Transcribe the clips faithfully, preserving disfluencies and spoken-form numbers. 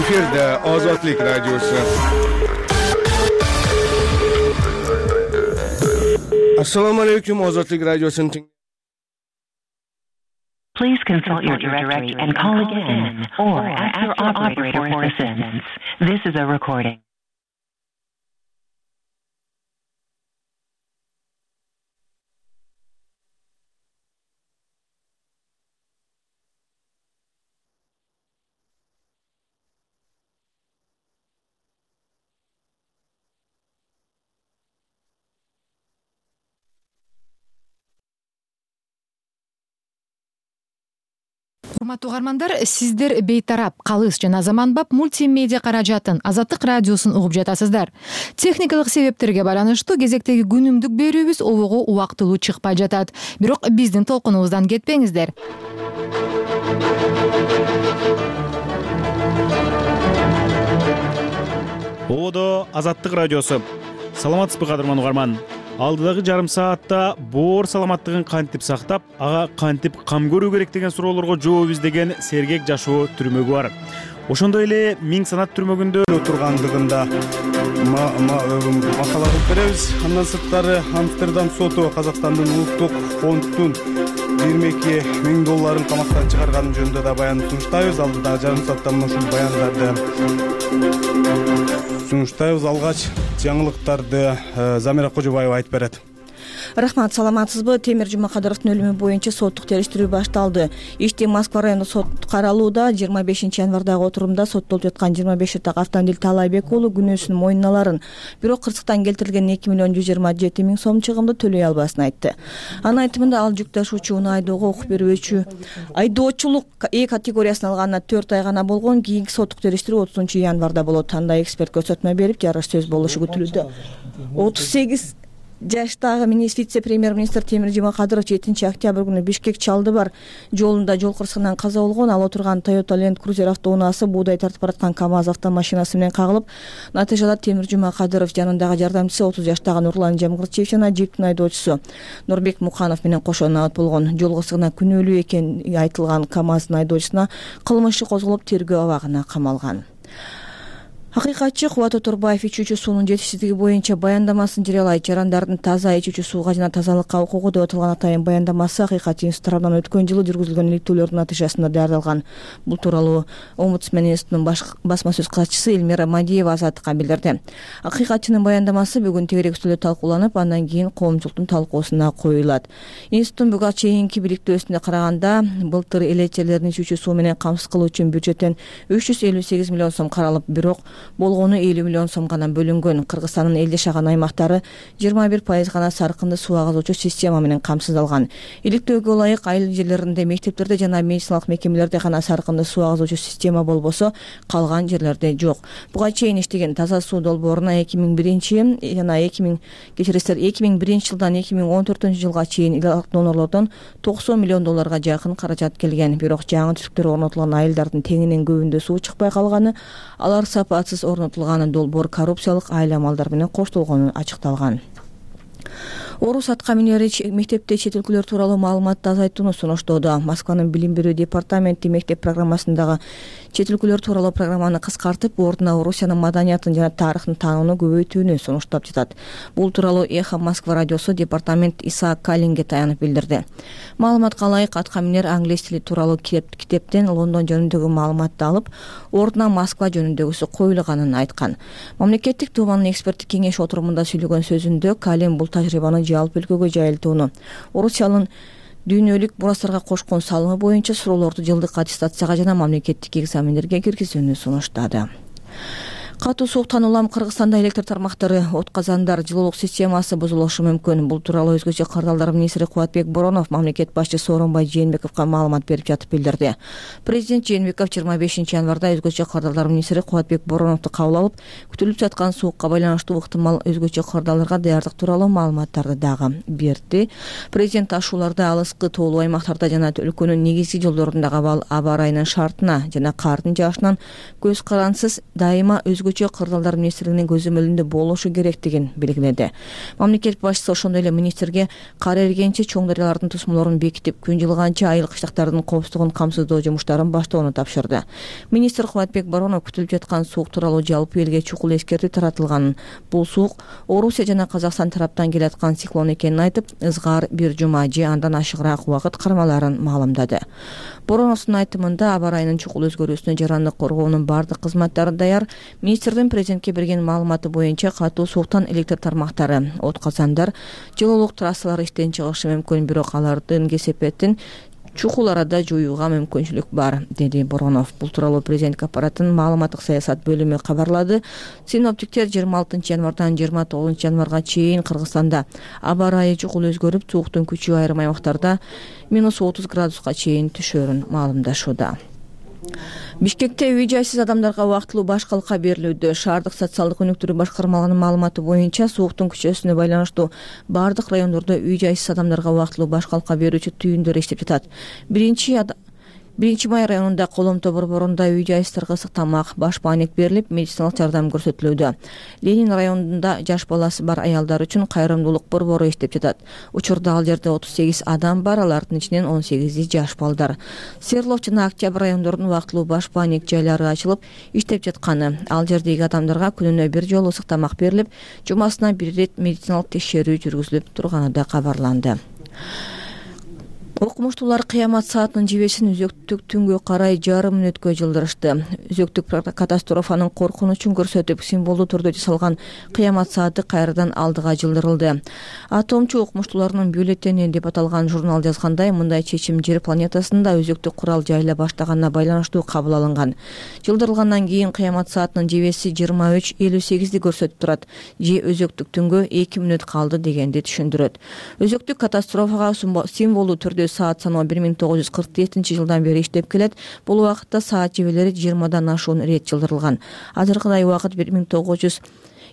Эфирде Ozodlik radiosu. Assalamu alaikum, Ozodlik radiosunun. Please consult your directory and call again or ask your operator for assistance. This is a recording. Урматтуу угармандар, сиздер бейтарап, калыс жана заманбап мультимедиа каражатын Азаттык радиосун угуп жатасыздар. Техникалык себептерге байланыштуу кезектеги күнүмдүк берүүбүз обого убактылуу чыкпай жатат. Бирок биздин толкунубуздан кетпеңиздер. Ободо Азаттык радиосу. Саламатсызбы кадырман угарман? Алдыдагы жарым саатта боор саламаттыгын кантип сактап, ага кантип кам көрүү керек деген суроолорго жооп издеген сергек жашоо түрмөгү бар. Ошондой эле миң санат түрмөгүндө тургандыгында макала кылып беребиз. Андан сырткары Амстердам соту Казакстандын улуттук фонддун жыйырма эки миң долларын камактан чыгарганы жөнүндө да баян сунуштайбыз. Алдыдагы жарым саатта ушул баяндарды сунуштайбыз. Алгач жаңылыктарды Замира Кожобаева айтып берет. Рахмат, саламатсызбы? Темир Жумакадыровдун өлүмү боюнча соттук териштирүү башталды. Ишти Москва райондук сот каралууда. жыйырма бешинчи январдагы отурумда соттолуп жаткан жыйырма беш жаштагы Автандил Таалайбек уулу күнөөсүн мойнуна аларын, бирок кырсыктан келтирилген эки миллион жүз жыйырма жети миң сом чыгымды төлөй албасын айтты. Анын айтымында ал жүк ташуучуну айдоого укук берүүчү айдоочулук Э категориясын алганына төрт ай гана болгон. Кийинки соттук териштирүү отузунчу январда болот. Анда эксперт көрсөтмө берип, жарыш сөз болушу күтүлүүдө. отуз сегиз жаштагы вице-премьер-министр Темир Жумакадыров жетинчи октябрь күнү Бишкек Чалдыбар жолунда жол кырсыгынан каза болгон. Ал отурган Toyota Land Cruiser автоунаасы буудай тартып бараткан КамАЗ автомашинасы менен кагылып, натыйжада Темир Жумакадыров жанындагы жардамчысы отуз жаштагы Нурлан Жамгырчиев жана джиптин айдоочусу Нурбек Муканов менен кошо набат болгон. Жол кырсыгына күнөөлүү экени айтылган КамАздын айдоочусуна кылмыш козголуп, тергөө абагына камалган. Акыйкатчы Кубат Оторбаев ичүүчү суунун жетишсиздиги боюнча баяндамасын жарыялайт. Жарандардын таза ичүүчү сууга жана тазалыкка укугу деп аталган атайын баяндамасы Акыйкат институту тарабынан өткөн жылы жүргүзүлгөн иликтөөлөрдүн натыйжасында даярдалган. Бул тууралуу Омбудсмен институтунун басма сөз катчысы Эльмира Мадиева Азаттыкка билдирди. Акыйкатчынын баяндамасы бүгүн тегерек үстөлдө талкууланып, андан кийин коомчулуктун талкуусуна коюлат. Институттун буга чейинки бириктөөсүнө караганда, былтыр элечелердин ичүүчү суу менен камсыз кылуу үчүн бюджеттен үч жүз элүү сегиз миллион сом каралып, бирок болгону элүү миллион сом гана бөлүнгөн. Кыргызстандын эл жашаган аймактары жыйырма бир пайыз гана саркынды суу агызуучу система менен камсыздалган. Иликтөөгө ылайык айыл жерлеринде, мектептерде жана медициналык мекемелерде гана саркынды суу агызуучу система болбосо, калган жерлерде жок. Буга чейин иштеген таза суу долбооруна эки миң биринчи жана эки миң кечиресиздер эки миң биринчи жылдан эки миң он төртүнчү жылга чейин донорлордон токсон миллион долларга жакын каражат келген. Бирок жаңы түтүктөр орнотулган айылдардын теңинен көбүндө суу чыкпай калганы, алар сапатсыз орнотулган долбоор коррупциялык айламалдар менен коштолгону ачыкталган. Орус атка минери мектепте чет өлкөлөр тууралуу маалыматты азайтууну сунуштоодо. Москванын билим берүү департаменти мектеп программасындагы чет өлкөлөр тууралуу программаны кыскартып, ордуна Орусиянын маданиятын жана тарыхын таанууну көбөйтүүнү сунуштап жатат. Бул тууралуу Эхо Москва радиосу департамент Исаак Калинге таянып билдирди. Маалыматка ылайык, атка минер англис тили тууралуу китептен Лондон жөнүндөгү маалыматты алып, ордуна Москва жөнүндөгүсү коюлганын айткан. Мамлекеттик Думанын эксперттик кеңеш отурумунда сүйлөгөн сөзүндө Калин бул тажрыйбаны жалпы өлкөгө жайылтууну, Орусиянын дүйнөлүк мурастарга кошкон салымы боюнча суроолорду жылдык аттестацияга жана мамлекеттик экзамендерге киргизүүнү сунуштады. Катуу сууктан улам Кыргызстанда электр тармактары, отказандар, жылуулук системасы бузулушу мүмкүн. Бул тууралуу өзгөчө кардалдар министри Кубатбек Боронов мамлекет башчысы Сооронбай Жээнбековго маалымат берип жатып билдирди. Президент Жээнбеков жыйырма бешинчи январда өзгөчө кардалдар министри Кубатбек Бороновду кабыл алып, күтүлүп жаткан суукка байланыштуу ыктымал өзгөчө кардалдарга даярдык тууралуу маалыматтарды дагы берди. Президент ашууларда алыскы тоолуу аймактарда жана өлкөнүн негизги жолдорундагы аба ырайынын шартына жана кардын жаашынан көз карансыз дайыма өзгөчө көчө кырдаалдар министрлигинин көзөмөлүндө болушу керектигин белгиледи. Мамлекет башчысы ошондой эле министрге кар эригенче чоң дарыялардын тосмолорун бекитип, күн жылганча айыл кыштактардын коопсуздугун камсыздоо жумуштарын баштоону тапшырды. Министр Кубатбек Боронов күтүлүп жаткан суук тууралуу жалпы элге чукул эскертүү таратылганын, бул суук Орусия жана Казакстан тараптан келаткан циклон экенин айтып, ызгар бир жума же андан ашыгыраак убакыт кармаларын маалымдады. Бороновдун айтымында аба ырайынын чукул өзгөрүүсүнө жарандык коргоонун бардык кызматтары даяр. Министрдин президентке берген маалыматы боюнча катуу сууктан электр тармактары, от казандар, жылуулук трассалары иштен чыгышы мүмкүн, бирок алардын кесепетин чукул арада жоюуга мүмкүнчүлүк бар, деди Боронов. Бул тууралуу президент аппаратынын маалыматтык саясат бөлүмү кабарлады. Синоптиктер жыйырма алтынчы январдан жыйырма тогузунчу январга чейин Кыргызстанда аба ырайы чукул өзгөрүп, сууктун күчү айрым аймактарда минус отуз градуска чейин түшөрүн маалымдашууда. Бишкекте үй жайсыз адамдарга убактылуу баш калка берилүүдө. Шаардык социалдык өнүктүрүү башкармалыгынын маалыматы боюнча сууктун күчөөсүнө байланыштуу бардык райондордо үй жайсыз адамдарга убактылуу баш калка берүүчү түйүндөр иштеп жатат. Биринчи Биринчи май районунда Коломто борборунда үй жайсыздарга ысык тамак, баш бааник берилип, медициналык жардам көрсөтүлүүдө. Ленин районунда жаш баласы бар аялдар үчүн кайрымдуулук борбору иштеп жатат. Учурда ал жерде отуз сегиз адам бар, алардын ичинен он сегизи жаш балдар. Серлов жана Октябрь райондорунун убактылуу баш бааник жайлары ачылып иштеп жатканы, ал жердеги адамдарга күнүнө бир жолу ысык тамак берилип, жумасына бир ирет медициналык текшерүү жүргүзүлүп турганы да кабарланды. Окумуштуулар кыямат саатынын жебесин өзөктүк түнгө карай жарым мүнөткө жылдырышты. Өзөктүк катастрофанын коркунучун көрсөтүп, символдуу түрдө жасалган кыямат сааты кайрадан алдыга жылдырылды. Атомчу окумуштууларынын бюллетени деп аталган журнал жазгандай, мындай чечим Жер планетасында өзөктүк курал жайыла баштаганына байланыштуу кабыл алынган. Жылдырылгандан кийин кыямат саатынын жебеси жыйырма үч элүү сегизди көрсөтүп турат. Же өзөктүк түнгө эки мүнөт калды дегенди түшүндүрөт. Өзөктүк катастрофага символдуу түрдө саат саноо бир миң тогуз жүз кырк жетинчи жылдан бери иштеп келет. Бул убакытта саат жебелери жыйырмадан ашуун ирет жылдырылган. Азыркыдай убакыт бир миң тогуз жүз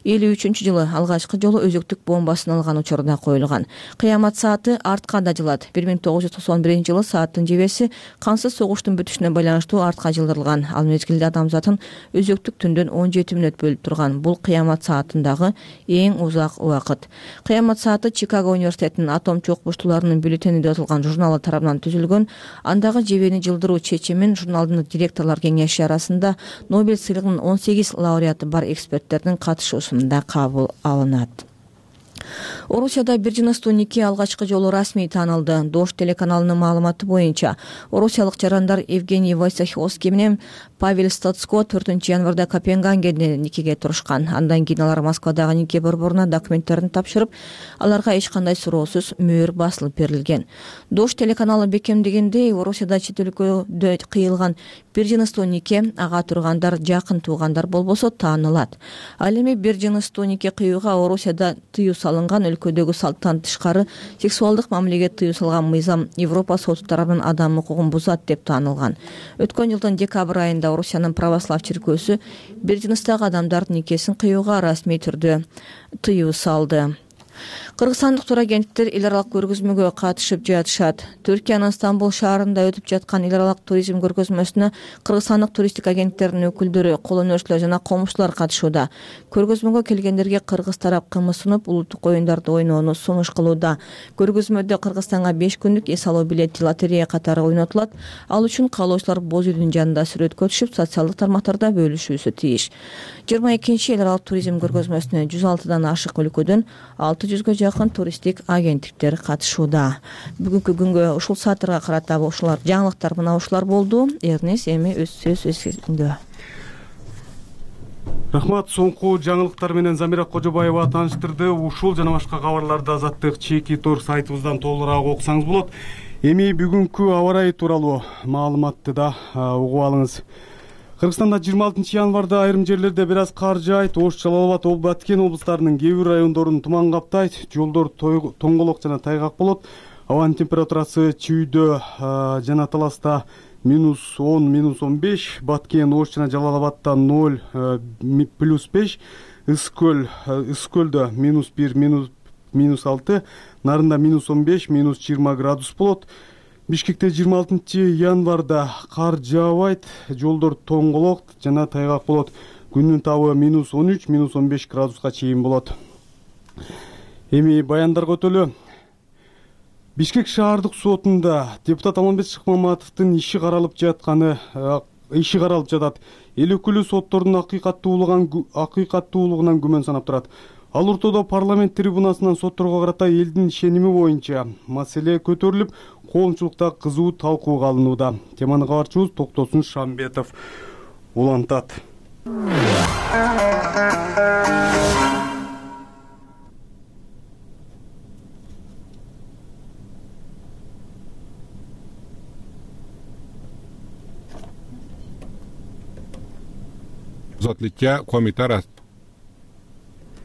элүү үчүнчү жылы алгачкы жолу өзөктүк бомбасын алган учурда коюлган. Кыямат сааты артка да жылат. бир миң тогуз жүз токсон биринчи жылы сааттын жебеси кансыз согуштун бүтүшүнө байланыштуу артка жылдырылган. Ал мезгилде адамзатын өзөктүк түндөн он жети мүнөт бөлүп турган. Бул кыямат саатындагы эң узак убакыт. Кыямат сааты Чикаго университетинин атомчу окумуштууларынын бюллетени деп аталган журналы тарабынан түзүлгөн. Андагы жебени жылдыруу чечимин журналдын директорлор кеңеши арасында Нобель сыйлыгынын он сегиз лауреаты бар эксперттердин катышуусу да кабыл алынат. Орусияда бир жыныстуу нике алгачкы жолу расмий таанылды. Дождь телеканалынын маалыматы боюнча, орусиялык жарандар Евгений Войцеховский менен Павел Стоцко төртүнчү январда Копенгагенде никеге турушкан. Андан кийин алар Москвадагы нике борборуна документтерин тапшырып, аларга эч кандай суроосуз мөөр басылып берилген. Дождь телеканалы бекемдегендей, Орусияда чет өлкөдө кыйылган бир жыныстуу нике ага тургандар жакын туугандар болбосо таанылат. Ал эми бир жыныстуу нике кыюуга Орусияда тыюу салынган, өлкөдөгү салттан тышкары сексуалдык мамилеге тыюу салган мыйзам Европа соту тарабынан адам укугун бузат деп таанылган. Өткөн жылдын декабрь айында Орусиянын православ чиркөөсү бир жыныстагы адамдардын никесин кыюуга расмий түрдө тыюу салды. Кыргызстандык турагенттер эл аралык көргөзмөгө катышып жатышат. Түркиянын Стамбул шаарында өтүп жаткан эл аралык туризм көргөзмөсүнө кыргызстандык туристтик агенттердин өкүлдөрү, кол өнөрчүлөр жана комузчулар катышууда. Көргөзмөгө келгендерге кыргыз тарап кымыз сунуп, улуттук оюндарды ойноону сунуш кылууда. Көргөзмөдө Кыргызстанга беш күндүк эс алуу билети лотерея катары ойнотулат. Ал үчүн каалоочулар боз үйдүн жанында сүрөткө түшүп, социалдык тармактарда бөлүшүүсү тийиш. жыйырма экинчи эл аралык туризм көргөзмөсүнө жүз алтыдан ашык өлкөдөн алты жүзгө жакын туристтик агенттиктер катышууда. Бүгүнкү күнгө ушул сааттарга карата ушулар жаңылыктар мына ушулар болду. Эрнес эми өз сөз өзүндө. Рахмат. Соңку жаңылыктар менен Замира Кожобаева тааныштырды. Ушул жана башка кабарларды Азаттык чеки тор сайтыбыздан толугураак окусаңыз болот. Эми бүгүнкү аба ырайы тууралуу маалыматты да угуп алыңыз. Кыргызстанда жыйырма алтынчы январда айрым жерлерде бир аз кар жаайт. Ош, Жалал абад, Баткен облустарынын кээ бир райондорун туман каптайт. Жолдор тоңголок жана тайгак болот. Абанын температурасы Чүйдө жана Таласта минус он, минус он беш, Баткен, Ош жана Жалал абадта ноль, плюс беш, Ысыкөл, Ысыкөлдө минус бир, минус алты, Нарында минус он беш, минус жыйырма градус болот. Бишкекте жыйырма алтынчы январда кар жаабайт, жолдор тоңголок жана тайгак болот. күндүн табы минус он үч минус он беш градуска чейин болот. Эми баяндарга өтөлү. Бишкек шаардык сотунда депутат Алмамбет Шыкмаматовдун иши каралып жатканы иши каралып жатат. Эл өкүлү соттордун акыйкаттуулугунан акыйкаттуулугунан күмөн санап турат. Ал ортодо парламент трибунасынан сотторго карата элдин ишеними боюнча маселе көтөрүлүп, коомчулукта кызуу талкууга алынууда. Теманы кабарчыбыз Токтосун Шамбетов улантат. комитара.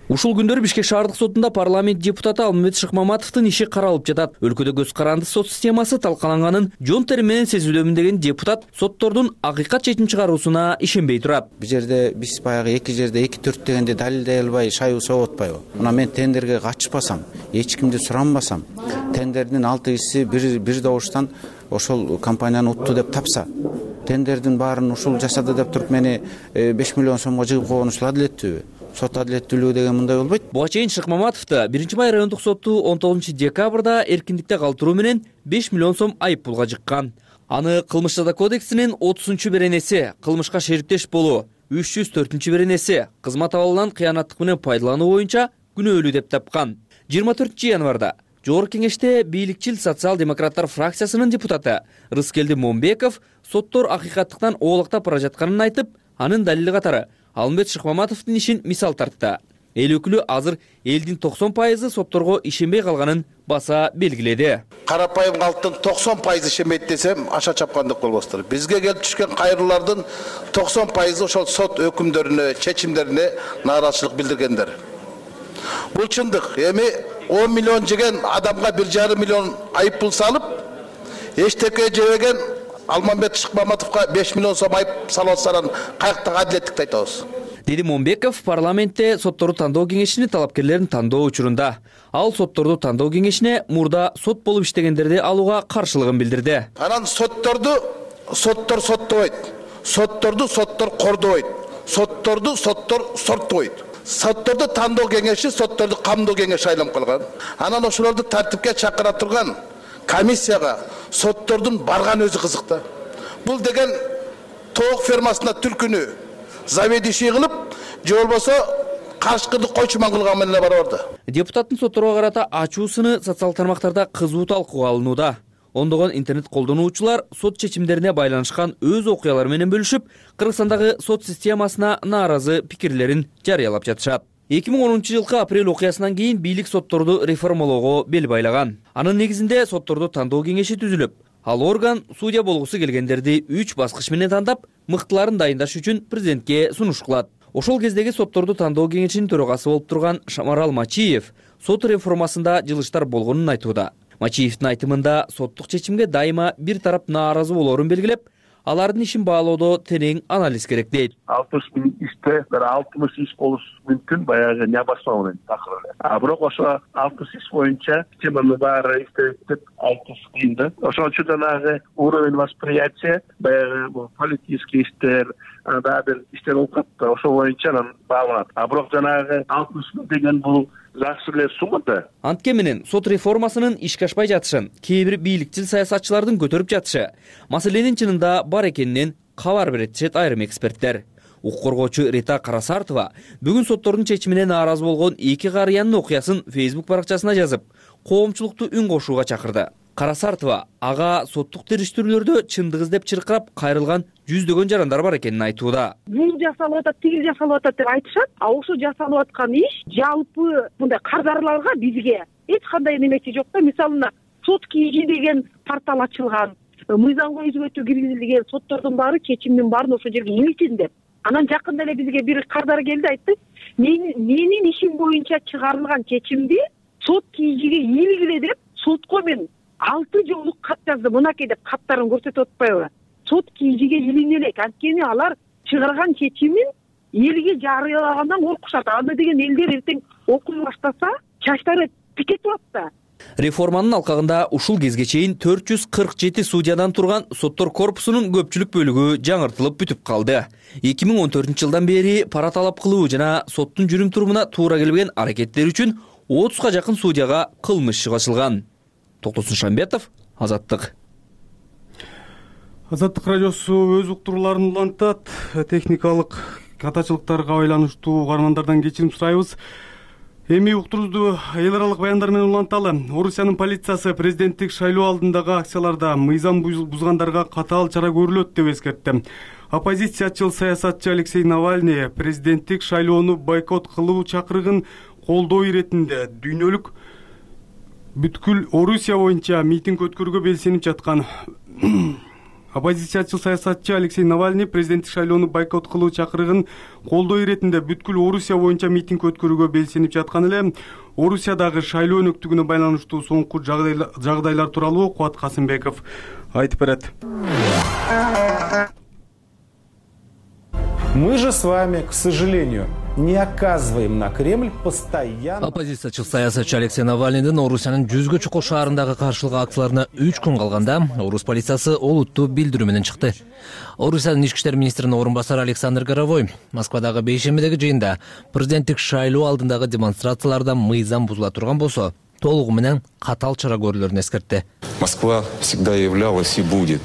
Ушул күндөрү Бишкек шаардык сотунда парламент депутаты Алмамбет Шыкмаматовдун иши каралып жатат. Өлкөдө көз каранды сот системасы талкаланганын жон тери менен сезүүдөмүн деген депутат соттордун акыйкат чечим чыгаруусуна ишенбей турат. Бул жерде биз баягы эки жерде эки төрт дегенде далилдей албай шайуу согуп атпайбы? Мына мен тендерге катышпасам, эч кимди суранбасам, тендердин алты кишиси бир бир добуштан ошол компанияны утту деп тапса, тендердин баарын ушул жасады деп туруп мени беш миллион сомго жыгып койгон ушул адилеттүүбү? Сот адилеттүүлүгү деген мындай болбойт. Буга чейин Шыкмаматовду биринчи май райондук соту он тогузунчу декабрда эркиндикте калтыруу менен беш миллион сом айып пулга жыккан. Аны кылмыш жаза кодексинин отузунчу беренеси кылмышка шериктеш болуу, үч жүз төртүнчү беренеси кызмат абалынан кыянаттык менен пайдалануу боюнча күнөөлүү деп тапкан. жыйырма төртүнчү январда Жогорку кеңеште бийликчил социал-демократтар фракциясынын депутаты Рыскелди Момбеков соттор акыйкаттыктан оолактап бара жатканын айтып, анын далили катары Алмамбет Шыкмаматовдун ишин мисал тартты. Эл өкүлү азыр элдин токсон пайызы сотторго ишенбей калганын баса белгиледи. Карапайым калктын токсон пайызы ишенбейт десем, аша чапкандык болбостур. Бизге келип түшкөн кайрылуулардын токсон пайызы ошол сот өкүмдөрүнө, чечимдерине нааразычылык билдиргендер. Бул чындык. Эми он миллион жеген адамга бир жарым миллион айып пул салып, эчтеке жебеген Алмамбет Шыкмаматовго беш миллион сом айып салып атсанын каяктагы адилеттикти айтабыз. Деди Момбеков парламентте сотторду тандоо кеңешини талапкерлерин тандоо учурунда. Ал сотторду тандоо кеңешине мурда сот болуп иштегендерди алууга каршылыгын билдирди. Анан сотторду соттор соттобойт. Сотторду соттор кордобойт. Сотторду соттор сорттобойт. Сотторду тандоо кеңеши сотторду камдоо кеңеши айланып калган. Анан ошолорду тартипке чакыра турган комиссияга соттордун барган өзү кызык да. Бул деген тоок фермасында түлкүнү заведующий кылып, же болбосо карышкырды койчуман кылган менен барабар да. Депутаттын сотторго карата ачуусуны социал тармактарда кызуу талкууга алынууда. Ондогон интернет колдонуучулар сот чечимдерине байланышкан өз окуялары менен бөлүшүп, Кыргызстандагы сот системасына нааразы пикирлерин жарыялап жатышат. эки миң онунчу жылкы апрель окуясынан кийин бийлик сотторду реформалоого бел байлаган. Анын негизинде сотторду тандоо кеңеши түзүлүп, ал орган судья болгусу келгендерди үч баскыч менен тандап, мыктыларын дайындаш үчүн президентке сунуш кылат. Ошол кездеги сотторду тандоо кеңешинин төрагасы болуп турган Шамарал Мачиев сот реформасында жылыштар болгонун айтууда. Мачиевдин айтымында соттук чечимге дайыма бир тарап нааразы болоорун белгилеп, алардын ишин баалоодо терең анализ керек дейт. алтымыш миң иште бир алтымыш иш болуш мүмкүн, баягы не басма менен такыр эле. А бирок ошо алтымыш иш боюнча теманы баары иштеп деп айтыш кыйын да. Ошон үчүн жанагы уровень восприятия, баягы бул политический иштер, анда бир иштер болуп калат. Ошол боюнча анан бааланат. А бирок жанагы алтымыш миң деген бул жакшы эле сумма да. Антке менен сот реформасынын ишке ашпай жатышын кээ бир бийликчил саясатчылардын көтөрүп жатышы маселенин чынында бар экенинен кабар берет дешет айрым эксперттер. Укук коргоочу Рита Карасартова бүгүн соттордун чечимине нааразы болгон эки карыянын окуясын Facebook баракчасына жазып, коомчулукту үн кошууга чакырды. Карасартова ага соттук териштирүүлөрдө чындык издеп чыркырап кайрылган жүздөгөн жарандар бар экенин айтууда. Бул жасалып атат, тигил жасалып атат деп айтышат. А ошо жасалып аткан иш жалпы мындай кардарларга бизге эч кандай немеси жок да. Мисалына сот кийги деген портал ачылган, мыйзамга өзгөртүү киргизилген, соттордун баары чечимдин баарын ошол жерге илтин деп. Анан жакында эле бизге бир кардар келди, айтты, менин ишим боюнча чыгарылган чечимди сот кийгиге илгиле деп сотко мен алты жолу кат жазды. Мынакей деп каттарын көрсөтүп атпайбы? Сот кийгиге илине элек, анткени алар чыгарган чечимин элге жарыялагандан коркушат. Аны деген элдер эртең окуй баштаса, чачтары тикетип атат да. Реформанын алкагында ушул кезге чейин төрт жүз кырк жети судьядан турган соттор корпусунун көпчүлүк бөлүгү жаңыртылып бүтүп калды. эки миң он төртүнчү жылдан бери пара талап кылуу жана соттун жүрүм турумуна туура келбеген аракеттер үчүн отузга жакын судьяга кылмыш иши ачылган. Токтосун Шамбетов, Азаттык. Азаттык радиосу өз уктурууларын улантат. Техникалык катачылыктарга байланыштуу угармандардан кечирим сурайбыз. Эми уктуруубузду эл аралык баяндар менен уланталы. Орусиянын полициясы президенттик шайлоо алдындагы акцияларда мыйзам бузгандарга катаал чара көрүлөт деп эскертти. Оппозициячыл саясатчы Алексей Навальный президенттик шайлоону бойкот кылуу чакырыгын колдоо иретинде дүйнөлүк бүткүл Орусия боюнча митинг өткөрүүгө белсенип жаткан. Оппозициячыл саясатчы Алексей Навальный президенттик шайлоону бойкот кылуу чакырыгын колдоо иретинде бүткүл Орусия боюнча митинг өткөрүүгө белсенип жаткан эле. Орусиядагы шайлоо өнөктүгүнө байланыштуу соңку жагдайлар тууралуу Кубат Касымбеков айтып берет. Мы же с вами, к сожалению, не оказываем на Кремль постоянно. Оппозициячыл саясатчы Алексей Навальныйдын Орусиянын жүзгө чукул шаарындагы каршылык акцияларына үч күн калганда Орус полициясы олуттуу билдирүү менен чыкты. Орусиянын ички иштер министринин орун басары Александр Горовой Москвадагы бейшембидеги жыйында президенттик шайлоо алдындагы демонстрацияларда мыйзам бузула турган болсо, толугу менен катаал чара көрүлөрүн эскертти. Москва всегда являлась и будет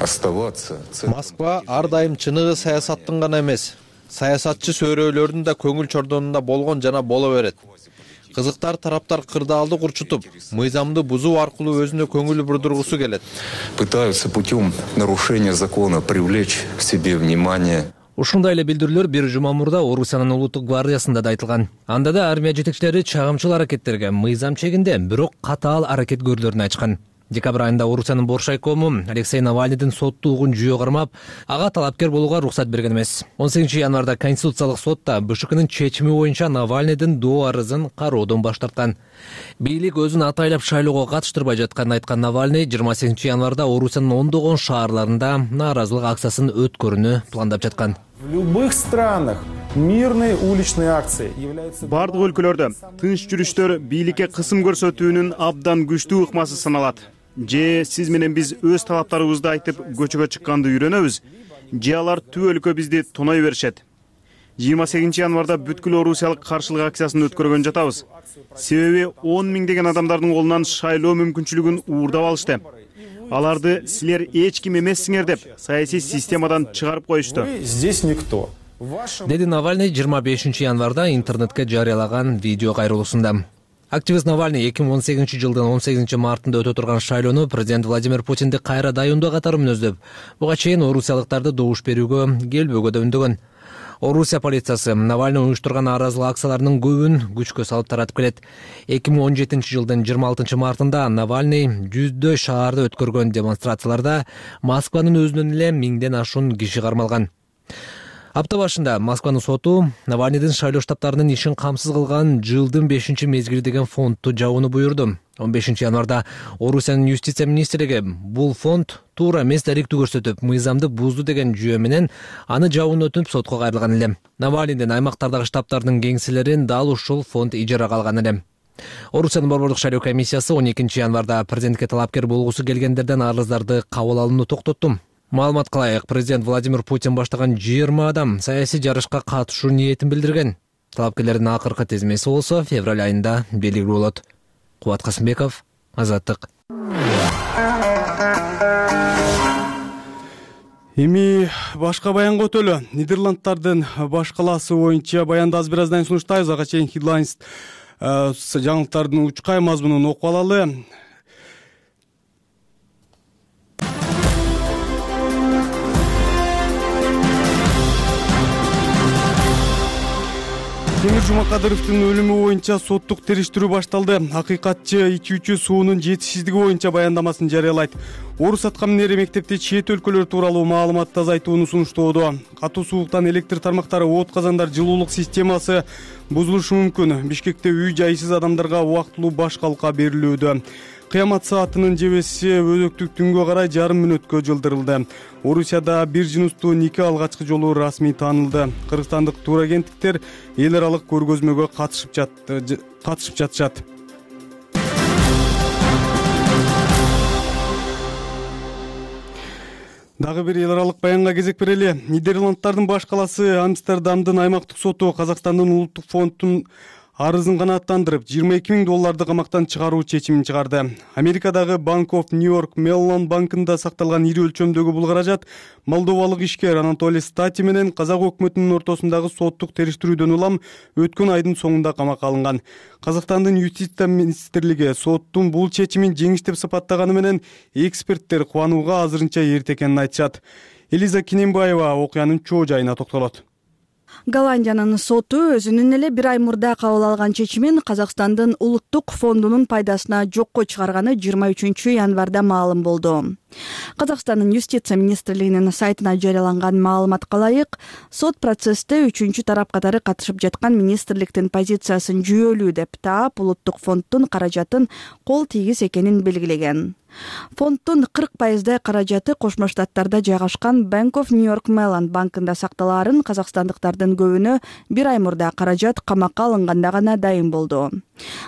оставаться. Москва ар дайым чыныгы саясаттын гана эмес, саясатчы сөөрөөлөрдүн да көңүл чордонунда болгон жана боло берет. Кызыктар тараптар кырдаалды курчутуп, мыйзамды бузуу аркылуу өзүнө көңүл бурдургусу келет. Пытаются путем нарушения закона привлечь к себе внимание. Ушундай эле билдирүүлөр бир жума мурда Орусиянын улуттук гвардиясында да айтылган. Анда да армия жетекчилери чагымчыл аракеттерге мыйзам чегинде, бирок катаал аракет көрүлөрүн айтышкан. Декабрь айында Орусиянын Боршайкому Алексей Навальныйдын соттуулугун жүйө кармап, ага талапкер болууга уруксат берген эмес. он сегизинчи январда Конституциялык сотта БШКнын чечими боюнча Навальныйдын доо арызын кароодон баш тарткан. Бийлик өзүн атайлап шайлоого катыштырбай жатканын айткан Навальный жыйырма сегизинчи январда Орусиянын ондогон шаарларында нааразылык акциясын өткөрүүнү пландап жаткан. В любых странах мирные уличные акции являются... Бардык өлкөлөрдө тынч жүрүштөр бийликке кысым көрсөтүүнүн абдан күчтүү ыкмасы саналат. Же сиз менен биз өз талаптарыбызды айтып көчөгө чыкканды үйрөнөбүз, же алар түп өлкө бизди тоной беришет. жыйырма сегизинчи январда бүткүл орусиялык каршылык акциясын өткөргөн жатабыз. Себеби он миңдеген адамдардын колунан шайлоо мүмкүнчүлүгүн уурдап алышты. Аларды силер эч ким эмессиңер деп саясий системадан чыгарып коюшту. Здесь никто. Деди Навальный жыйырма бешинчи январда интернетке жарыялаган видео кайрылуусунда. Активист Навальный эки миң он сегизинчи жылдын он сегизинчи мартында өтө турган шайлоону президент Владимир Путинди кайра дайындоо катары мүнөздөп, буга чейин орусиялыктарды добуш берүүгө келбөөгө да үндөгөн. Орусия полициясы Навальный уюштурган нааразылык акцияларынын көбүн күчкө салып таратып келет. эки миң он жетинчи жылдын жыйырма алтынчы мартында Навальный жүздөй шаарда өткөргөн демонстрацияларда Москванын өзүнөн эле миңден ашуун киши кармалган. Апта башында Москванын соту Навальныйдын шайлоо штабтарынын ишин камсыз кылган жылдын бешинчи мезгили деген фондду жабууну буйрду. он бешинчи январда Орусиянын юстиция министрлиги бул фонд туура эмес даректүү көрсөтүп, мыйзамды бузду деген жүйө менен аны жабууну өтүнүп сотко кайрылган эле. Навальныйдын аймактардагы штабтарынын кеңселерин дал ушул фонд ижарага алган эле. Орусиянын борбордук шайлоо комиссиясы он экинчи январда президентке талапкер болгусу келгендерден арыздарды кабыл алууну токтотту. Маалымат кылайык, президент Владимир Путин баштаган жыйырма адам саясий жарышка катышуу ниетин билдирген. Талапкерлердин акыркы тизмеси болсо февраль айында белгилүү болот. Кубат Касымбеков, Азаттык. Эми башка баянга өтөлү. Нидерланддардын баш калаасы боюнча баянды аз бир аздан сунуштайбыз. Ага чейин headlines жаңылыктардын учкай мазмунун окуп алалы. Темир Жумакадыровдун өлүмү боюнча соттук териштирүү башталды. Акыйкатчы ичүүчү суунун жетишсиздиги боюнча баяндамасын жарыялайт. Орус аткаминери мектепте чет өлкөлөр тууралуу маалыматты азайтууну сунуштоодо. Катуу сууктан электр тармактары, от казандар, жылуулук системасы бузулушу мүмкүн. Бишкекте үй жайсыз адамдарга убактылуу баш калка берилүүдө. Кыямат саатынын жебеси өзөктүк түнгө карай жарым мүнөткө жылдырылды. Орусияда бир жыныстуу нике алгачкы жолу расмий таанылды. Кыргызстандык турагенттиктер эл аралык көргөзмөгө катышып жатты, катышып жатышат. Дагы бир эл аралык баянга кезек берели. Нидерланддардын баш калаасы Амстердамдын аймактык соту Казакстандын улуттук фондунун арызын канааттандырып, жыйырма эки миң долларды камактан чыгаруу чечимин чыгарды. Америкадагы Bank of New York Mellon банкында сакталган ири өлчөмдөгү бул каражат молдовалык ишкер Анатолий Стати менен казак өкмөтүнүн ортосундагы соттук териштирүүдөн улам өткөн айдын соңунда камакка алынган. Казакстандын юстиция министрлиги соттун бул чечимин жеңиш деп сапаттаганы менен эксперттер кубанууга азырынча эрте экенин айтышат. Элиза Кинембаева окуянын чоо жайына токтолот. Голландиянын соту өзүнүн эле бир ай мурда кабыл алган чечимин Казакстандын улуттук фондунун пайдасына жокко чыгарганы жыйырма үчүнчү январда маалым болду. Казакстандын юстиция министрлигинин сайтына жарыяланган маалыматка ылайык, сот процессте үчүнчү тарап катары катышып жаткан министрликтин позициясын жүйөлүү деп таап, улуттук фонддун каражатын кол тийгиз экенин белгилеген. Фонддун кырк пайыздай каражаты Кошмо Штаттарда жайгашкан Bank of New York Mellon банкында сакталаарын казакстандыктардын көбүнө бир ай мурда каражат камакка алынганда гана дайын болду.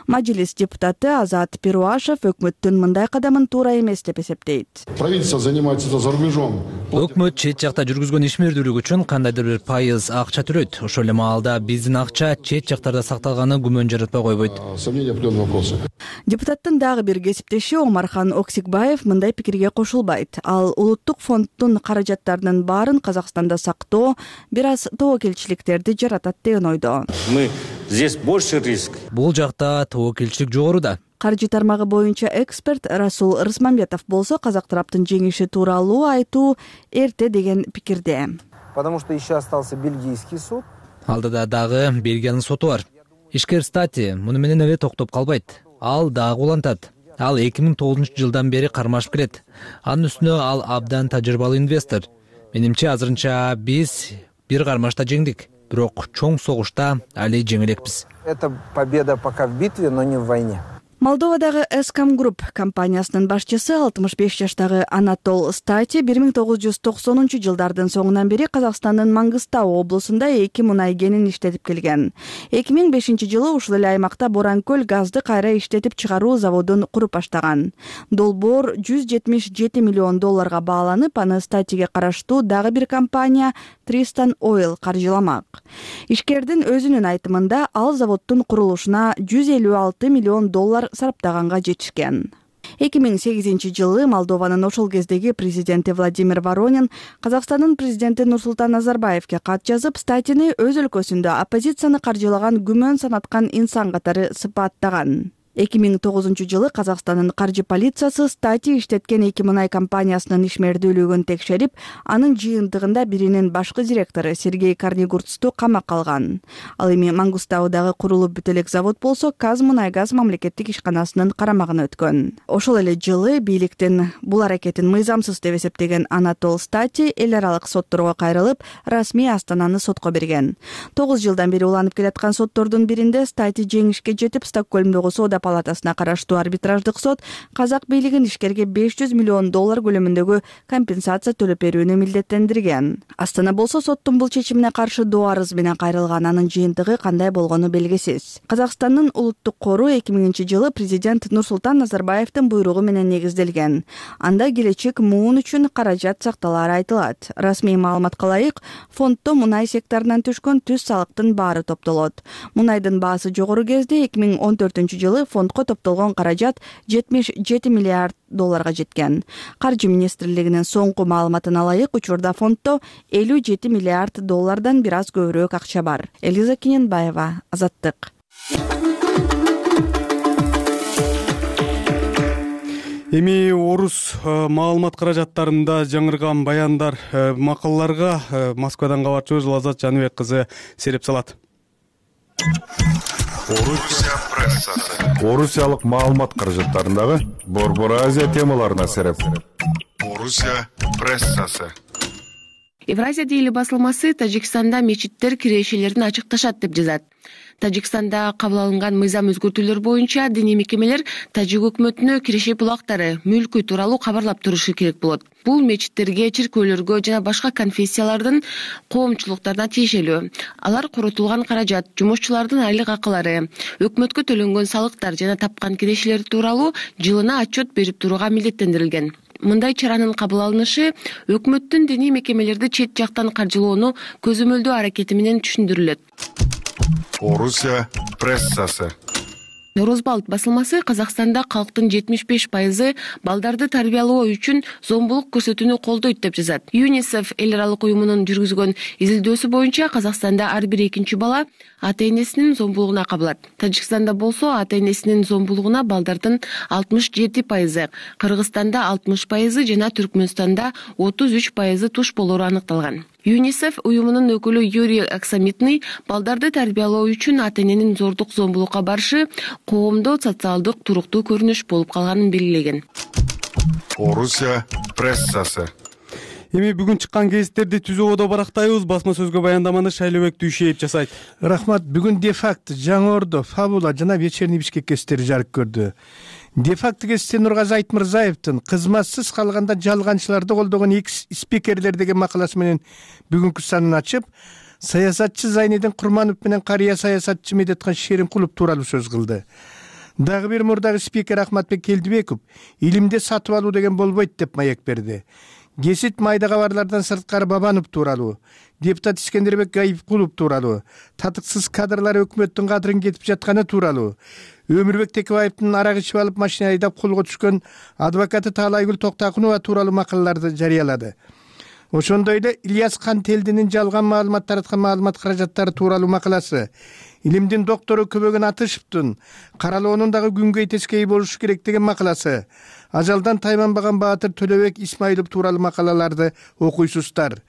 Мажилис депутаты Азат Перуашев өкмөттүн мындай кадамын туура эмес деп эсептейт. Правительство занимается за рубежом. Өкмөт чет жакта жүргүзгөн ишмердүүлүк үчүн кандайдыр бир пайыз акча төлөйт. Ошол эле маалда биздин акча чет жактарда сакталганы күмөн жаратпай койбойт. Сомнения, определенные вопросы. Депутаттын дагы бир кесиптеши Омархан Оксикбаев мындай пикирге кошулбайт. Ал улуттук фонддун каражаттарынын баарын Казакстанда сактоо бир аз тобокелчиликтерди жаратат деген ойдо. Мы здесь больше риск. Бул жакта тобокелчилик жогору да. Каржы тармагы боюнча эксперт Расул Рысмамбетов болсо казак тараптын жеңиши тууралуу айтуу эрте деген пикирде. Потому что еще остался бельгийский суд. Алдыда дагы Бельгиянын соту бар. Ишкер Стати муну менен эле токтоп калбайт. Ал дагы улантат. Ал эки миң тогузунчу жылдан бери кармашып келет. Анын үстүнө ал абдан тажрыйбалуу инвестор. Менимче азырынча биз бир кармашта жеңдик. Бирок чоң согушта али жеңилекпиз. Это победа пока в битве, но не в войне. Молдовадагы Эскам Групп компаниясынын башчысы алтымыш беш жаштагы Анатол Стати бир миң тогуз жүз токсонунчу жылдардын соңунан бери Казакстандын Мангыстау облусунда эки мунай кенин иштетип келген. эки миң бешинчи жылы ушул эле аймакта Боранкөл газды кайра иштетип чыгаруу заводун куруп баштаган. Долбоор жүз жетимиш жети миллион долларга бааланып, аны Статиге караштуу дагы бир компания Tristan Oil каржыламак. Ишкердин өзүнүн айтымында ал заводдун курулушуна жүз элүү алты миллион доллар сараптаганга жетишкен. эки миң сегизинчи жылы Молдованын ошол кездеги президенти Владимир Воронин Казакстандын президенти Нурсултан Назарбаевке кат жазып, Статини өз өлкөсүндө оппозицияны каржылаган күмөн санаткан инсан катары сыпаттаган. эки миң тогузунчу жылы Казакстандын каржы полициясы Стати иштеткен эки мунай компаниясынын ишмердүүлүгүн текшерип, анын жыйынтыгында биринин башкы директору Сергей Карнигурцту камакка алган. Ал эми Мангустаудагы курулуп бүт элек завод болсо Казмунайгаз мамлекеттик ишканасынын карамагына өткөн. Ошол эле жылы бийликтин бул аракетин мыйзамсыз деп эсептеген Анатол Стати эл аралык сотторго кайрылып, расмий Астананы сотко берген. тогуз жылдан бери уланып келаткан соттордун биринде Стати жеңишке жетип, Стокгольмдогу соода палатасына караштуу арбитраждык сот казак бийлигин ишкерге беш жүз миллион доллар көлөмүндөгү компенсация төлөп берүүнү милдеттендирген. Астана болсо соттун бул чечимине каршы доо арыз менен кайрылган, анын жыйынтыгы кандай болгону белгисиз. Казакстандын улуттук кору эки миңинчи жылы президент Нурсултан Назарбаевдин буйругу менен негизделген. Анда келечек муун үчүн каражат сакталары айтылат. Расмий маалыматка ылайык, фонддо мунай секторунан түшкөн түз салыктын баары топтолот. Мунайдын баасы жогору кезде эки миң он төртүнчү жылы фондко топтолгон каражат жетимиш жети миллиард долларга жеткен. Каржы министрлигинин соңку маалыматына ылайык, учурда фонддо элүү жети миллиард доллардан бир аз көбүрөөк акча бар. Элиза Кинембаева, Азаттык. Эми орус маалымат каражаттарында жаңырган баяндар, макалаларга Москвадан кабарчыбыз Азат Жаныбек кызы сереп салат. Орусия прессасы. Орусиялык маалымат каражаттарындагы Борбор Азия темаларына сереп. Орусия прессасы. Евразия дейли басылмасы Тажикстанда мечиттер кирешелерин ачыкташат деп жазат. Тажикстанда кабыл алынган мыйзам өзгөртүүлөр боюнча диний мекемелер Тажик өкмөтүнө киреше булактары, мүлкү тууралуу кабарлап турушу керек болот. Бул мечиттерге, чиркөөлөргө жана башка конфессиялардын коомчулуктарына тиешелүү. Алар коротулган каражат, жумушчулардын айлык акылары, өкмөткө төлөнгөн салыктар жана тапкан кирешелер тууралуу жылына отчет берип турууга милдеттендирилген. мындай чаранын кабыл алынышы өкмөттүн диний мекемелерди чет жактан каржылоону көзөмөлдөө аракети менен түшүндүрүлөт. Орусия прессасы. Норозбалт басылмасы Казакстанда калктын жетимиш беш пайызы балдарды тарбиялоо үчүн зомбулук көрсөтүүнү колдойт деп жазат. ЮНИСЕФ эл аралык уюмунун жүргүзгөн изилдөөсү боюнча Казакстанда ар бир экинчи бала ата энесинин зомбулугуна кабылат. Тажикстанда болсо ата энесинин зомбулугуна балдардын алтымыш жети пайызы, Кыргызстанда алтымыш пайызы жана Түркмөнстанда отуз үч пайызы туш болору аныкталган. ЮНИСЕФ уюмунун өкүлү Юрий Аксамитный балдарды тарбиялоо үчүн ата эненин зордук зомбулукка барышы коомдо социалдык туруктуу көрүнүш болуп калганын белгилеген. Орусия прессасы. Эми бүгүн чыккан гезиттерди түзүүбөдө барактайбыз. Басма сөзгө баяндаманы Шайлообек Дүйшеев жасайт. Рахмат. Бүгүн Дефакт, Жаңы Ордо, Фабула жана Вечерний Бишкек гезиттери жарык көрдү. Дефакт гезити Нургазы Айтмырзаевдин кызматсыз калганда жалганчыларды колдогон экс спикерлер деген макаласы менен бүгүнкү санын ачып, саясатчы Зайнидин Курманов менен карыя саясатчы Медетхан Шеримкулов тууралуу сөз кылды. Дагы бир мурдагы спикер Ахматбек Келдибеков илимди сатып алуу деген болбойт деп маек берди. Гезит майда кабарлардан сырткары Бабанов тууралуу, депутат Искендербек Гайыпкулов тууралуу, татыксыз кадрлар өкмөттүн кадырын кетип жатканы тууралуу, Өмүрбек Текебаевдин арак ичип алып машина айдап колго түшкөн адвокаты Таалайгүл Токтакунова тууралуу макалаларды жарыялады. Ошондой эле Ильяс Кантелдинин жалган маалымат тараткан маалымат каражаттары тууралуу макаласы, илимдин доктору Көбөгөн Атышевдин каралоонун дагы күнгөй тескей болушу керек деген макаласы, ажалдан тайманбаган Баатыр Төлөбек Исмаилов тууралуу макалаларды окуйсуздар.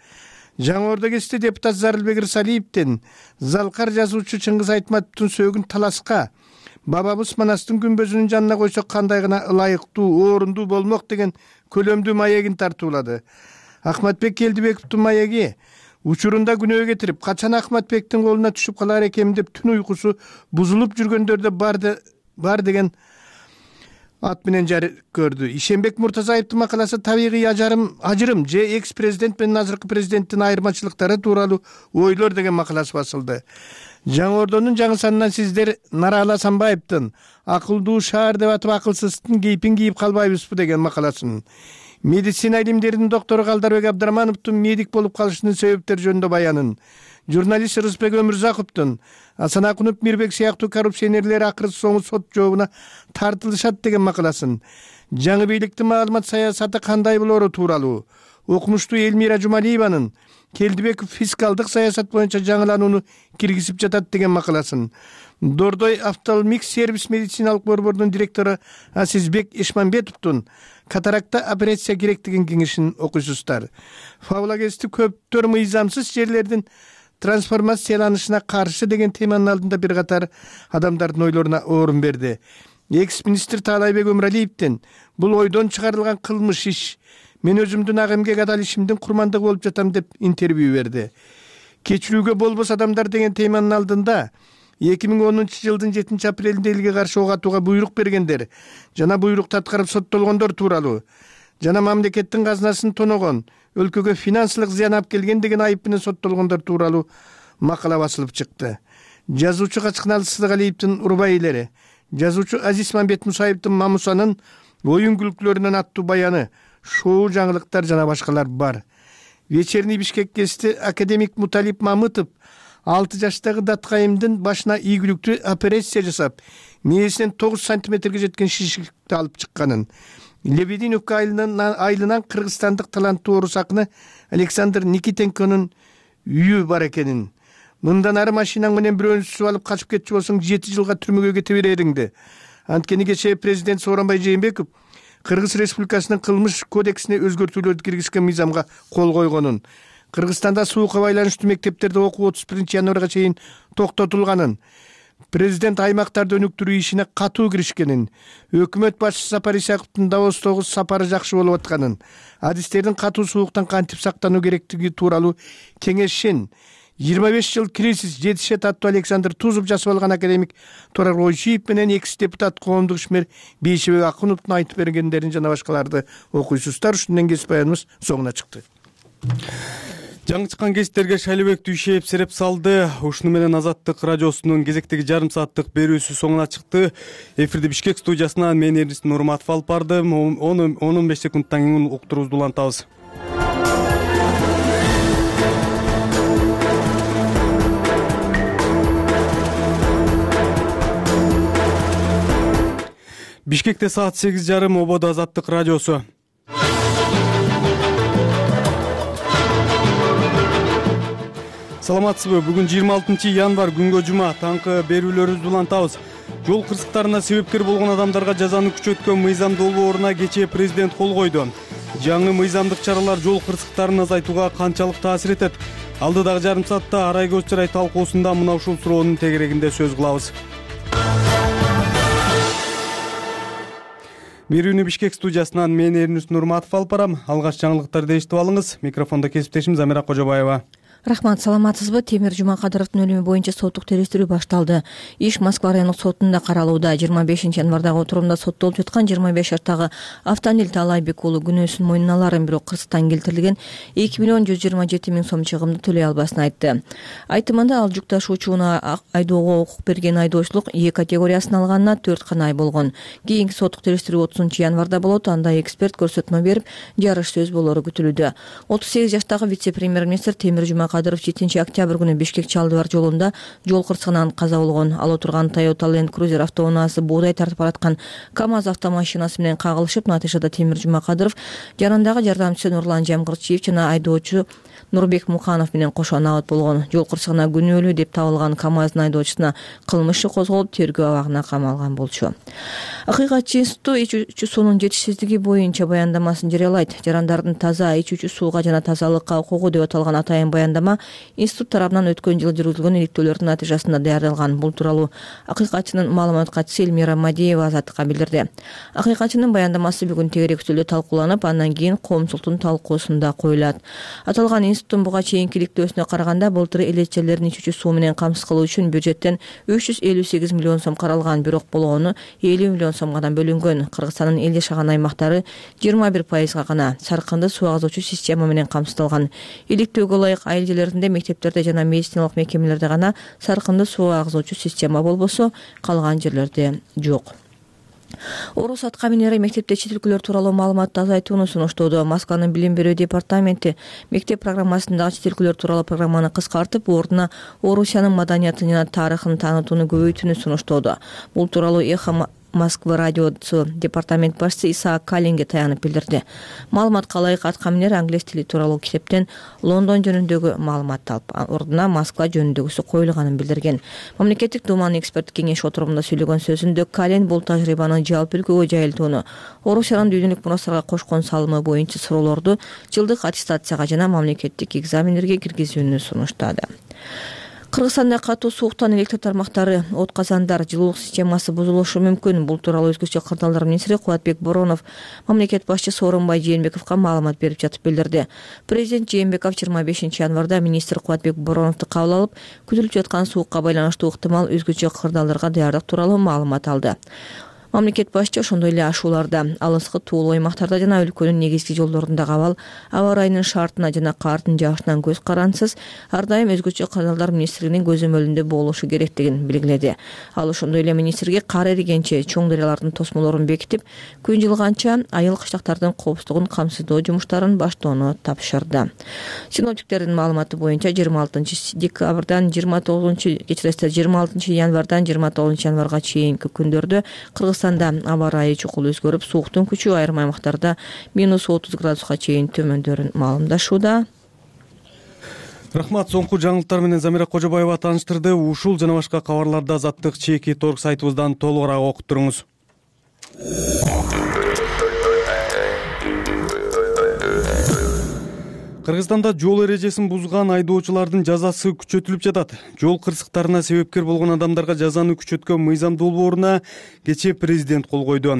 Жаңы Ордо гезити депутат Зарылбек Рысалиевдин залкар жазуучу Чыңгыз Айтматовдун сөөгүн таласка бабабыз Манастын күмбөзүнүн жанына койсок кандай гана ылайыктуу, орунду болмок деген көлөмдүү маегин тартуулады. Ахматбек Келдибековдун маеги учурунда күнөө кетирип, качан Ахматбектин колуна түшүп калар экенмин деп түн уйкусу бузулуп жүргөндөрдө бар бар деген ат менен жарык көрдү. Ишенбек Муртазаевдин макаласы табигый ажырым, ажырым же экс президент менен азыркы президенттин айырмачылыктары тууралуу ойлор деген макаласы басылды. Жаңы Ордонун жаңы санынан сиздер Нарала Асанбаевдин акылдуу шаар деп атып акылсыздын кейпин кийип калбайбызбы деген макаласын, медицина илимдеринин доктору Калдарбек Абдрахмановдун медик болуп калышынын себептери жөнүндө баянын, журналист Рысбек Өмүрзаковдун Асан Акунов, Мирбек сыяктуу коррупционерлер акыры соңу сот жообуна тартылышат деген макаласын, жаңы бийликтин маалымат саясаты кандай болору тууралуу, окумуштуу Элмира Жумалиеванын Келдибеков фискалдык саясат боюнча жаңыланууну киргизип жатат деген макаласын, Дордой Автомикс сервис медициналык борбордун директору Асизбек Эшманбетовдун катаракта операция керек деген кеңешин окуйсуздар. Фабула гезити көптөр мыйзамсыз жерлердин трансформацияланышына каршы деген теманын алдында бир катар адамдардын ойлоруна орун берди. Экс-министр Таалайбек Өмүралиевдин бул ойдон чыгарылган кылмыш иш, мен өзүмдүн ак эмгек адал ишимдин курмандыгы болуп жатам деп интервью берди. Кечирүүгө болбос адамдар деген теманын алдында эки миң онунчу жылдын жетинчи апрелинде элге каршы ок атууга буйрук бергендер жана буйрукту аткарып соттолгондор тууралуу жана мамлекеттин казынасын тоногон, өлкөгө финансылык зыян алып келген деген айып менен соттолгондор тууралуу макала басылып чыкты. Жазуучу Качкыналы Сыдыгалиевдин урбай-элери, жазуучу Азиз Мамбет Мусаевдин Мамусанын оюн күлкүлөрүнөн аттуу баяны, шоу жаңылыктар жана башкалар бар. Вечерний Бишкек гезити академик Муталип Мамытов алты жаштагы даткайымдын башына ийгиликтүү операция жасап, мээсинен тогуз сантиметрге жеткен шишикти алып чыкканын, Лебединовка айылынан кыргызстандык таланттуу орус акыны Александр Никитенконун үйү бар экенин, мындан ары машинаң менен бирөөнү сүзүп алып качып кетчү болсоң жети жылга түрмөгө кете берериңди. Анткени кечээ президент Сооронбай Жээнбеков Кыргыз Республикасынын кылмыш кодексине өзгөртүүлөрдү киргизген мыйзамга кол койгонун, Кыргызстанда суукка байланыштуу мектептерде окуу отуз биринчи январга чейин токтотулганын, президент аймактарды өнүктүрүү ишине катуу киришкенин, өкмөт башчысы Сапар Исаковдун Давостогу сапары жакшы болуп атканын, адистердин катуу сууктан кантип сактануу керектиги тууралуу кеңешин, жыйырма беш жыл кризис жетишет аттуу Александр Тузов жасап алган академик Турар Ойчиев менен экс депутат коомдук ишмер Бейшебек Акуновдун айтып бергендерин жана башкаларды окуйсуздар. Ушундан кесип баяныбыз соңуна чыкты. жаңы чыккан кесиптерге Шайлыбек Дүйшеев сереп салды. Ушуну менен Азаттык радиосунун кезектеги жарым сааттык берүүсү соңуна чыкты. Эфирди Бишкек студиясынан мен Эрнис Нурматов алып бардым. он беш секундтан кийин уктуруубузду улантабыз. Бишкекте саат сегиз жарым, ободо Азаттык радиосу. Саламатсызбы? Бүгүн жыйырма алтынчы январь, күнгө жума. Таңкы берүүлөрүбүздү улантабыз. Жол кырсыктарына себепкер болгон адамдарга жазаны күчөткөн мыйзам долбооруна кечээ президент кол койду. Жаңы мыйзамдык чаралар жол кырсыктарын азайтууга канчалык таасир этет? Алдыдагы жарым саатта арай көз чырай талкуусунда мына ушул суроонун тегерегинде сөз кылабыз. Берүүнү Бишкек студиясынан мен Эрнис Нурматов алып барам. Алгач жаңылыктарды эшитип алыңыз. Микрофондо кесиптешим Замира Кожобаева. Рахмат, саламатсызбы? Темир Жумакадыровдун өлүмү боюнча соттук териштирүү башталды. Иш Москва райондук сотунда каралууда. жыйырма бешинчи январдагы отурумда соттолуп жаткан жыйырма беш жаштагы Автандил Таалайбек уулу күнөөсүн мойнуна аларын, бирок кырсыктан келтирилген эки миллион жүз жыйырма жети миң сом чыгымды төлөй албасын айтты. Айтымында ал жүк ташуучуна айдоого укук берген айдоочулук Е категориясын алганына төрт гана ай болгон. Кийинки соттук териштирүү отузунчу январда болот. Анда эксперт көрсөтмө берип, жарыш сөз болору күтүлүүдө. отуз сегиз жаштагы вице-премьер-министр Темир Жумакадыров жетинчи октябрь күнү Бишкек Чалдыбар жолунда жол кырсыгынан каза болгон. Ал отурган Toyota Land Cruiser автоунаасы буудай тартып бараткан КамАЗ автомашинасы менен кагылышып, натыйжада Темир Жумакадыров жанындагы жардамчысы Нурлан Жамгырчиев жана айдоочу Нурбек Муканов менен кошо набат болгон. Жол кырсыгына күнөөлүү деп табылган КамАЗдын айдоочусуна кылмыш иши козголуп, тергөө абагына камалган болчу. Акыйкатчы институту ичүүчү суунун жетишсиздиги боюнча баяндамасын жарыялайт. Жарандардын таза ичүүчү сууга жана тазалыкка укугу деп аталган атайын баяндама институт тарабынан өткөн жылы жүргүзүлгөн иликтөөлөрдүн натыйжасында даярдалган. Бул тууралуу акыйкатчынын маалымат катчысы Элмира Мадиева Азаттыкка билдирди. Акыйкатчынын баяндамасы бүгүн тегерек үстөлдө талкууланып, андан кийин коомчулуктун талкуусунда коюлат. Аталган институттун буга чейинки иликтөөсүнө караганда былтыр элечелердин ичүүчү суу менен камсыз кылуу үчүн бюджеттен үч жүз элүү сегиз миллион сом каралган, бирок болгону элүү миллион сомго бөлүнгөн. Кыргызстандын эл жашаган аймактары жыйырма бир пайызга гана саркынды суу агызуучу система менен камсыздалган. Иликтөөгө ылайык айыл жерлеринде, мектептерде жана медициналык мекемелерде гана саркынды суу агызуучу система болбосо, калган жерлерде жок. Орус аткаминери мектепте чет өлкөлөр тууралуу маалыматты азайтууну сунуштоодо. Москванын билим берүү департаменти мектеп программасындагы чет өлкөлөр тууралуу программаны кыскартып, ордуна Орусиянын маданиятын жана тарыхын таанытууну көбөйтүүнү сунуштоодо. Бул тууралуу Эхо Москва радиосу департамент башчысы Исаак Калинге таянып билдирди. Маалыматка ылайык аткаминер англис тили тууралуу китептен Лондон жөнүндөгү маалымат алып, ордуна Москва жөнүндөгүсү коюлганын билдирген. Мамлекеттик Думанын эксперттик кеңеши отурумунда сүйлөгөн сөзүндө Калин бул тажрыйбаны жалпы өлкөгө жайылтууну, Орусиянын дүйнөлүк мурастарга кошкон салымы боюнча суроолорду жылдык аттестацияга жана мамлекеттик экзамендерге киргизүүнү сунуштады. Кыргызстанда катуу сууктан электр тармактары, от казандар, жылуулук системасы бузулушу мүмкүн. Бул тууралуу өзгөчө кырдаалдар министри Кубатбек Боронов мамлекет башчысы Сооронбай Жээнбековго маалымат берип жатып билдирди. Президент Жээнбеков жыйырма бешинчи январда министр Кубатбек Бороновду кабыл алып, күтүлүп жаткан суукка байланыштуу ыктымал өзгөчө кырдаалдарга даярдык тууралуу маалымат алды. Мамлекет башчы ошондой эле ашууларда, алыскы туулуу аймактарда жана өлкөнүн негизги жолдорундагы абал, аба ырайынын шартына жана кардын жаашынан көз карансыз, ар дайым өзгөчө кырдаалдар министрлигинин көзөмөлүндө болушу керектигин белгиледи. Ал ошондой эле министрге кар эригенче чоң дарыялардын тосмолорун бекитип, күн жылганча айыл кыштактардын коопсуздугун камсыздоо жумуштарын баштоону тапшырды. Синоптиктердин маалыматы боюнча жыйырма алтынчы декабрдан жыйырма тогузунчу кечиресиз жыйырма алтынчы январдан жыйырма тогузунчу январга чейинки күндөрдө Кыргызстанда аба ырайы чукул өзгөрүп, сууктун күчү айрым аймактарда минус отуз градуска чейин төмөндөрүн маалымдашууда. Рахмат, соңку жаңылыктар менен Замира Кожобаева тааныштырды. Ушул жана башка кабарларды Азаттык чеки торг сайтыбыздан толугураак окуп туруңуз. Кыргызстанда жол эрежесин бузган айдоочулардын жазасы күчөтүлүп жатат. Жол кырсыктарына себепкер болгон адамдарга жазаны күчөткөн мыйзам долбооруна кечээ президент кол койду.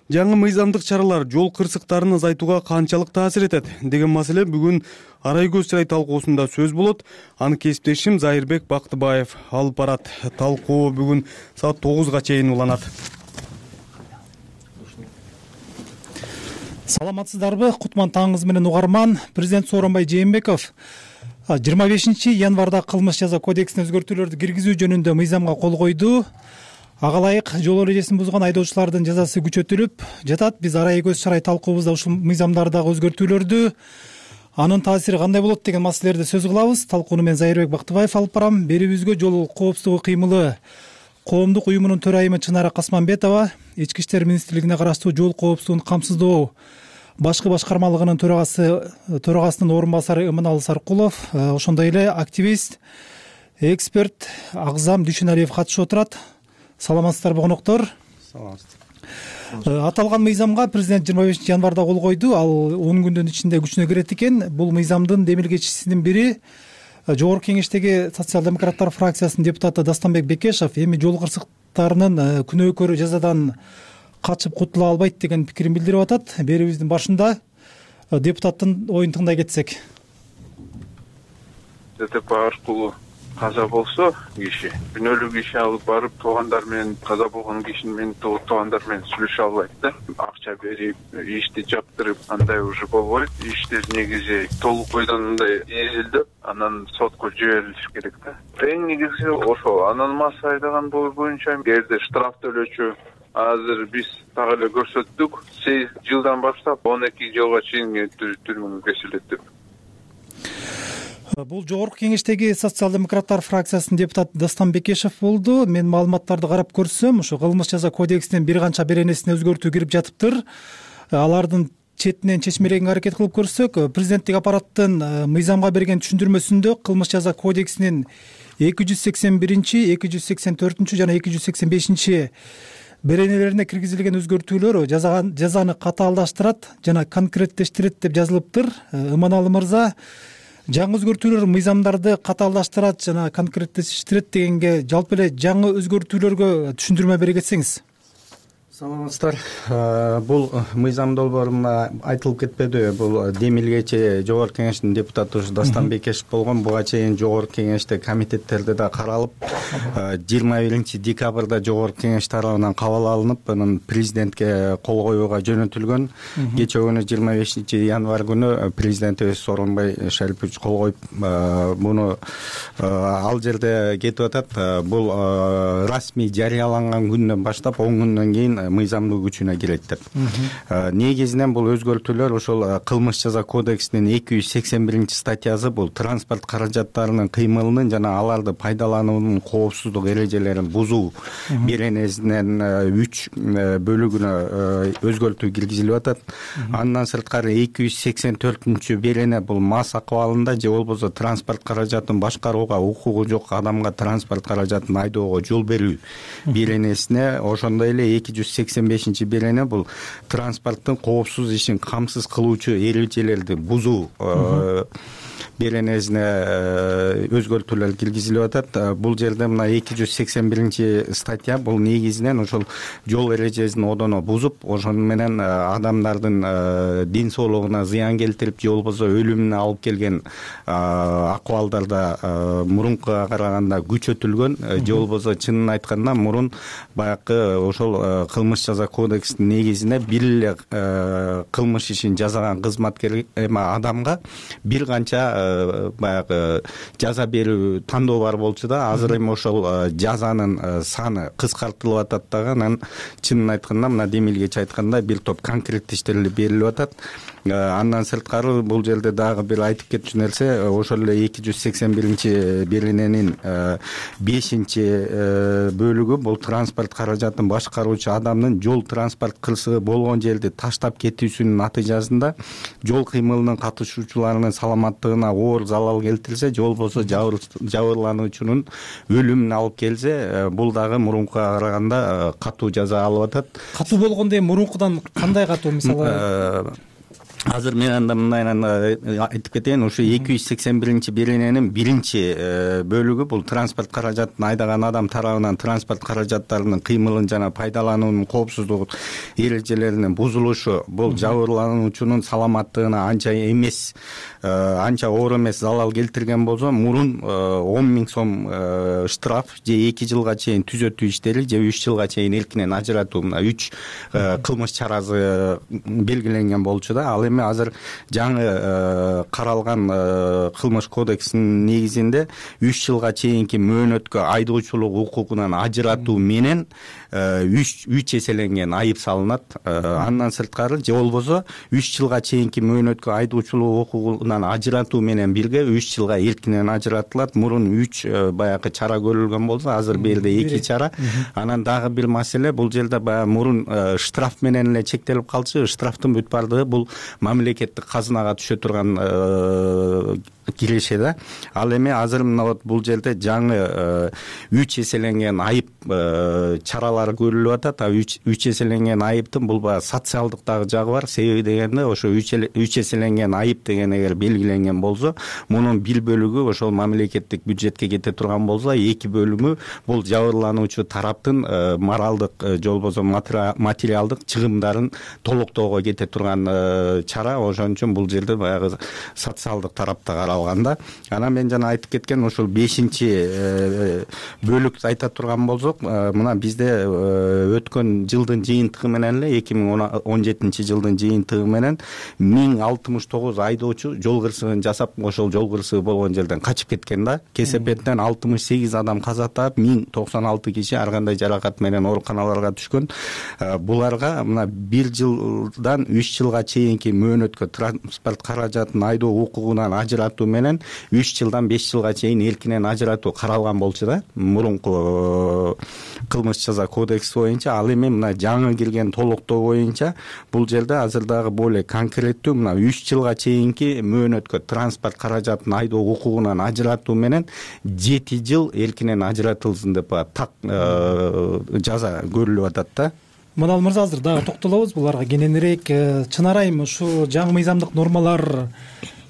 Жаңы мыйзамдык чаралар жол кырсыктарын азайтууга канчалык таасир этет деген маселе бүгүн арай көз чырай талкуусунда сөз болот. Аны кесиптешим Зайырбек Бактыбаев алып барат. Талкуу бүгүн саат тогузга чейин уланат. Саламатсыздарбы? Кутман таңыңыз менен угарман. Президент Сооронбай Жээнбеков жыйырма бешинчи январда кылмыш жаза кодексине өзгөртүүлөрдү киргизүү жөнүндө мыйзамга кол койду. Ага ылайык жол эрежесин бузган айдоочулардын жазасы күчөтүлүп жатат. Биз арайы көз чарай талкуубузда ушул мыйзамдардагы өзгөртүүлөрдү, анын таасири кандай болот деген маселелерди сөз кылабыз. Талкууну мен Зайырбек Бактыбаев алып барам. Берүүбүзгө жол коопсуздугу кыймылы коомдук уюмунун төрайымы Чынара Касманбетова, Ички иштер министрлигине караштуу жол коопсуздугун камсыздоо башкы башкармалыгынын төрагасы төрагасынын орун басары Ымыналы Саркулов, ошондой эле активист, эксперт Агзам Дүйшөналиев катышып отурат. Саламатсыздарбы коноктор? Саламатсыздар. Аталган мыйзамга президент жыйырма бешинчи январда кол койду. Ал он күндүн ичинде күчүнө кирет экен. Бул мыйзамдын демилгечисинин бири Жогорку Кеңештеги социал-демократтар фракциясынын депутаты Дастанбек Бекешев эми жол кырсыктарынын күнөөкөрү жазадан качып кутула албайт деген пикирин билдирип атат. Берүүбүздүн башында депутаттын оюн тыңдай кетсек. ДТП аркылуу каза болсо киши күнөөлүү киши алып барып туугандар менен, каза болгон кишинин менен туугандар менен сүйлөшө албайт да. Акча берип, ишти жаптырып андай уже болбойт. Иштер негизи толук бойдон мындай изилдеп, анан сотко жиберилиш керек да. Эң негизи ошол. Анан масса айдаган боюнча эгерде штраф төлөөчү азыр биз так эле көрсөттүк, сегиз жылдан баштап он эки жылга чейин түрмөгө кесилет деп. Бул Жогорку Кеңештеги социал-демократтар фракциясынын депутаты Дастан Бекешев болду. Мен маалыматтарды карап көрсөм, ушу кылмыш жаза кодексинин бир канча беренесине өзгөртүү кирип жатыптыр. Алардын четинен чечмелегенге аракет кылып көрсөк, президенттик аппараттын мыйзамга берген түшүндүрмөсүндө кылмыш жаза кодексинин эки жүз сексен биринчи, эки жүз сексен төртүнчү жана эки жүз сексен бешинчи беренелерине киргизилген өзгөртүүлөр жазаны катаалдаштырат жана конкреттештирет деп жазылыптыр. Ыманалы мырза, жаңы өзгөртүүлөр мыйзамдарды катаалдаштырат жана конкреттештирет дегенге жалпы эле жаңы өзгөртүүлөргө түшүндүрмө бере кетсеңиз. Саламатсыздар. Бул мыйзам долбоорунда айтылып кетпедиби? Бул демилгечи Жогорку Кеңештин депутаты ушу Дастан Бекешев болгон. Буга чейин Жогорку Кеңеште комитеттерде да каралып, жыйырма биринчи декабрда Жогорку Кеңеш тарабынан кабыл алынып, анан президентке кол коюуга жөнөтүлгөн. Кечээ күнү жыйырма бешинчи январь күнү президентибиз Сооронбай Шарипович кол коюп, муну ал жерде кетип атат. Бул расмий жарыяланган күндөн баштап он күндөн кийин мыйзамдуу күчүнө кирет деп. Негизинен бул өзгөртүүлөр ошол кылмыш жаза кодексинин эки жүз сексен биринчи статьясы, бул транспорт каражаттарынын кыймылынын жана аларды пайдалануунун коопсуздук эрежелерин бузуу беренесинен үч бөлүгүнө өзгөртүү киргизилип атат. Андан сырткары эки жүз сексен төртүнчү берене бул мас акыбалында же болбосо транспорт каражатын башкарууга укугу жок адамга транспорт каражатын айдоого жол берүү беренесине, ошондой эле эки жүз сексен бешинчи берене бул транспорттун коопсуз ишин камсыз кылуучу эрежелерди бузуу беренесине өзгөртүүлөр киргизилип атат. Бул жерде мына эки жүз сексен биринчи статья бул негизинен ошол жол эрежесин одоно бузуп, ошону менен адамдардын ден соолугуна зыян келтирип же болбосо өлүмүнө алып келген акыбалдарда мурункуга караганда күчөтүлгөн, же болбосо чынын айтканда мурун баягы ошол кылмыш жаза кодексинин негизине бир эле кылмыш ишин жасаган кызматкер эме адамга бир канча баягы жаза берүү тандоо бар болчу да. Азыр эми ошол жазанын саны кыскартылып атат дагы. Анан чынын айтканда мына демилгечи айткандай бир топ конкреттештирилип берилип атат. Андан сырткары бул жерде дагы бир айтып кетчү нерсе, ошол эле эки жүз сексен биринчи берененин бешинчи бөлүгү бул транспорт каражатын башкаруучу адамдын жол транспорт кырсыгы болгон жерди таштап кетүүсүнүн натыйжасында жол кыймылынын катышуучуларынын саламаттыгына оор залал келтирсе же болбосо жабырлануучунун өлүмүнө алып келсе, бул дагы мурункуга караганда катуу жаза алып атат. Катуу болгондо эми мурункудан кандай катуу? Мисалы азыр мен анда мындай айтып кетейин, ушу эки жүз сексен биринчи берененин биринчи бөлүгү бул транспорт каражатын айдаган адам тарабынан транспорт каражаттарынын кыймылын жана пайдалануунун коопсуздук эрежелеринин бузулушу, бул жабырлануучунун саламаттыгына анча эмес анча оор эмес залал келтирген болсо мурун он миң сом штраф же эки жылга чейин түзөтүү иштери же үч жылга чейин эркинен ажыратуу, мына үч кылмыш чарасы белгиленген болчу да. Ал эми азыр жаңы каралган кылмыш кодексинин негизинде үч жылга чейинки мөөнөткө айдоочулук укугунан ажыратуу менен үч үч эселенген айып салынат. Андан сырткары же болбосо үч жылга чейинки мөөнөткө айдоочулук укугунан ажыратуу менен бирге үч жылга эркинен ажыратылат. Мурун үч баягы чара көрүлгөн болсо, азыр берде эки чара. Анан дагы бир маселе, бул жерде баягы мурун штраф менен эле чектелип калчу. Штрафтын бүт бардыгы бул мамлекеттик казынага түшө турган киреше да. Ал эми азыр мына вот бул жерде жаңы үч эселенген айып чаралары көрүлүп атат. үч эселенген айыптын бул баягы социалдык дагы жагы бар. Себеби дегенде ошо үч эселенген айып деген эгер белгиленген болсо, мунун бир бөлүгү ошол мамлекеттик бюджетке кете турган болсо, эки бөлүгү бул жабырлануучу тараптын моралдык же болбосо материалдык чыгымдарын толуктоого кете турган чара. Ошон үчүн бул жерде баягы социалдык тарапта каралганда, анан мен жана айтып кеткен ушул бешинчи бөлүктү айта турган болсок, мына бизде өткөн жылдын жыйынтыгы менен эле эки миң он жетинчи жылдын жыйынтыгы менен миң алтымыш тогуз айдоочу жол кырсыгын жасап, ошол жол кырсыгы болгон жерден качып кеткен да. Кесепеттен алтымыш сегиз адам каза таап, миң токсон алты киши ар кандай жаракат менен ооруканаларга түшкөн. Буларга мына бир жылдан үч жылга чейинки мөөнөткө транспорт каражатын айдоо укугунан ажыратуу менен үч жылдан беш жылга чейин эркинен ажыратуу каралган болчу да, мурунку кылмыш жаза кодекси боюнча. Ал эми мына жаңы кирген толуктоо боюнча бул жерде азыр дагы более конкреттүү мына үч жылга чейинки мөөнөткө транспорт каражатын айдоо укугунан ажыратуу менен жети жыл эркинен ажыратылсын деп так жаза көрүлүп атат да. Мынал мырза, азыр дагы токтолобуз буларга кененирээк. Чын арайым ушу жаңы мыйзамдык нормалар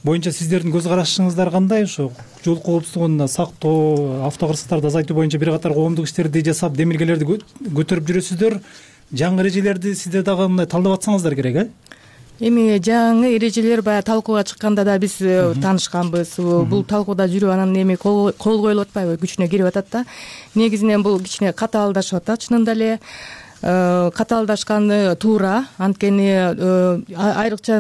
боюнча сиздердин көз карашыңыздар кандай? Ушу жол коопсуздугун сактоо, автокырсыктарды азайтуу боюнча бир катар коомдук иштерди жасап, демилгелерди көтөрүп жүрөсүздөр. Жаңы эрежелерди сиздер дагы мындай талдап атсаңыздар керек, э? Эми жаңы эрежелер баягы талкууга чыкканда да биз таанышканбыз. Бул талкууда жүрүп анан эми кол коюлуп атпайбы, күчүнө кирип атат да. Негизинен бул кичине катаалдашып атат, чынында эле. Катаалдашканы туура, анткени айрыкча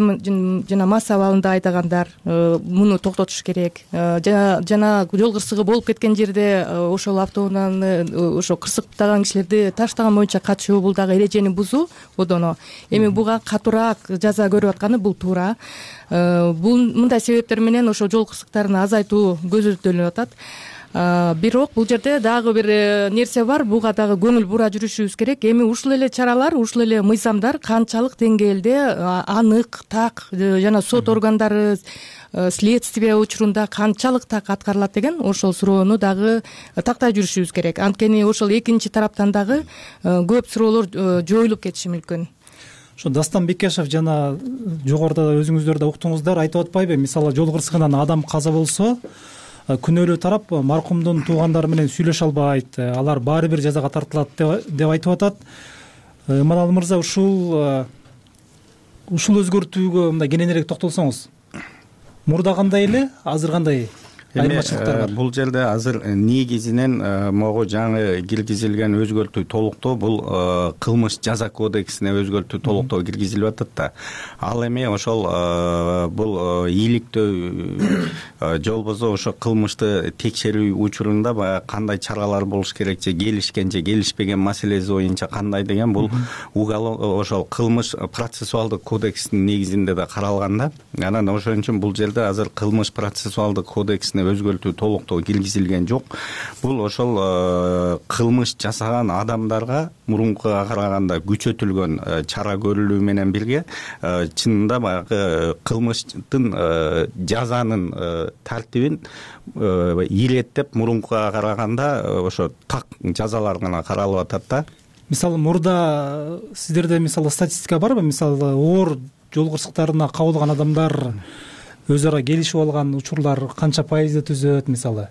жана мас абалында айдагандар муну токтотуш керек. Жана жол кырсыгы болуп кеткен жерде ошол автоунааны ошо кырсыктаган кишилерди таштаган боюнча качуу, бул дагы эрежени бузуу одоно. Эми буга катуураак жаза көрүп атканы бул туура. Бул мындай себептер менен ошо жол кырсыктарын азайтуу көзөмөлдөнүп атат. Бирок бул жерде дагы бир нерсе бар, буга дагы көңүл бура жүрүшүбүз керек. Эми ушул эле чаралар, ушул эле мыйзамдар канчалык деңгээлде анык, так жана сот органдары следствие учурунда канчалык так аткарылат деген ошол суроону дагы тактай жүрүшүбүз керек. Анткени ошол экинчи тараптан дагы көп суроолор жоюлуп кетиши мүмкүн. Ошо Дастан Бекешев жана жогоруда өзүңүздөр да уктуңуздар, айтып атпайбы? Мисалы жол кырсыгынан адам каза болсо, күнөөлүү тарап маркумдун туугандары менен сүйлөшө албайт, алар баары бир жазага тартылат деп айтып атат. Манал мырза, ушул ушул өзгөртүүгө мындай кененирээк токтолсоңуз. Мурда кандай эле, азыр кандай айырмачылыктар бар? Бул жерде азыр негизинен могу жаңы киргизилген өзгөртүү толуктоо бул кылмыш жаза кодексине өзгөртүү толуктоо киргизилип атат да. Ал эми ошол бул ийгиликтөө же болбосо ошо кылмышты текшерүү учурунда баягы кандай чаралар болуш керек, же келишкен же келишпеген маселеси боюнча кандай деген бул ошол кылмыш процессуалдык кодексинин негизинде да каралган да. Анан ошон үчүн бул жерде азыр кылмыш процессуалдык кодексине өзгөртүү толуктоо киргизилген жок. Бул ошол кылмыш жасаган адамдарга мурункуга караганда күчөтүлгөн чара көрүлүү менен бирге чынында баягы кылмыштын жазанын тартибин иреттеп мурункуга караганда ошо так жазалар гана каралып атат да. Мисалы мурда сиздерде мисалы статистика барбы? Мисалы оор жол кырсыктарына кабылган адамдар өзү ара келишип алган учурлар канча пайызды түзөт мисалы?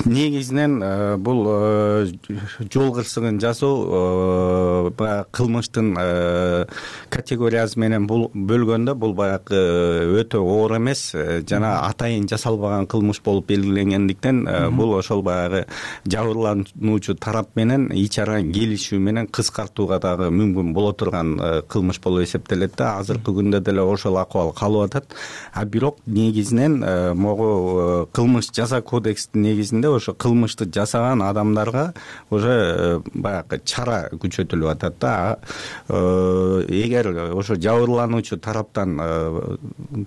негизинен бул жол кырсыгын жасоо баягы кылмыштын категориясы менен бөлгөндө бул баягы өтө оор эмес жана атайын жасалбаган кылмыш болуп белгиленгендиктен бул ошол баягы жабырлануучу тарап менен ич ара келишүү менен кыскартууга дагы мүмкүн боло турган кылмыш болуп эсептелет да. Азыркы күндө деле ошол акыбал калып атат. А бирок негизинен могу кылмыш жаза кодекстин негизинде ошо кылмышты жасаган адамдарга уже баягы чара күчөтүлүп атат да. Эгер ошо жабырлануучу тараптан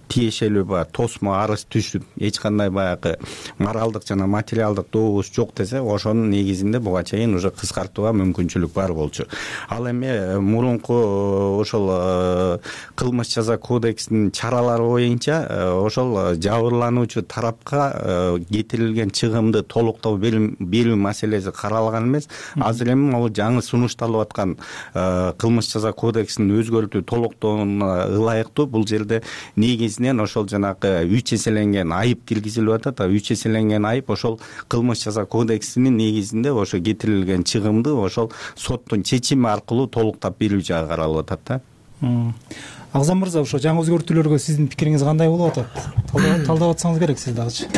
тиешелүү баягы тосмо арыз түшүп эч кандай баягы моралдык жана материалдык добуш жок десе, ошонун негизинде буга чейин уже кыскартууга мүмкүнчүлүк бар болчу. Ал эми мурунку ошол кылмыш жаза кодексинин чаралары боюнча ошол жабырлануучу тарапка кетирилген чыгымды толуктоо берүү маселеси каралган эмес. Азыр эми могу жаңы сунушталып аткан кылмыш жаза кодексин өзгөртүү толуктооуна ылайыктуу бул жерде негизинен ошол жанагы үч эселенген айып киргизилип атат. Үч эселенген айып ошол кылмыш жаза кодексинин негизинде ошо кетирилген чыгымды ошол соттун чечими аркылуу толуктап берүү жагы каралып атат да. Агзам мырза, ошо жаңы өзгөртүүлөргө сиздин пикириңиз кандай болуп атат? Талдап атсаңыз керек сиз дагычы.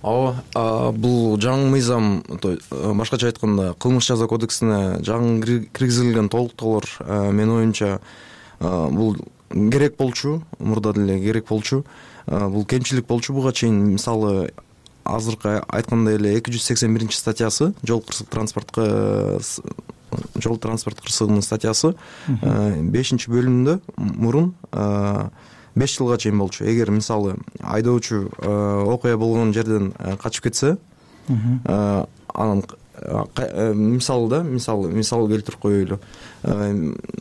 Ооба, бул жаңы мыйзам, башкача айтканда, кылмыш жаза кодексине жаңы киргизилген толуктоолор менин оюмча бул керек болчу, мурда деле керек болчу. Бул кемчилик болчу буга чейин. Мисалы, азыркы айткандай эле эки жүз сексен биринчи статьясы, жол кырсык транспортко жол транспорт кырсыгынын статьясы бешинчи бөлүмүндө мурун беш жылга чейин болчу. Эгер мисалы айдоочу окуя болгон жерден качып кетсе, анан мисалы да, мисалы мисал келтирип коелу.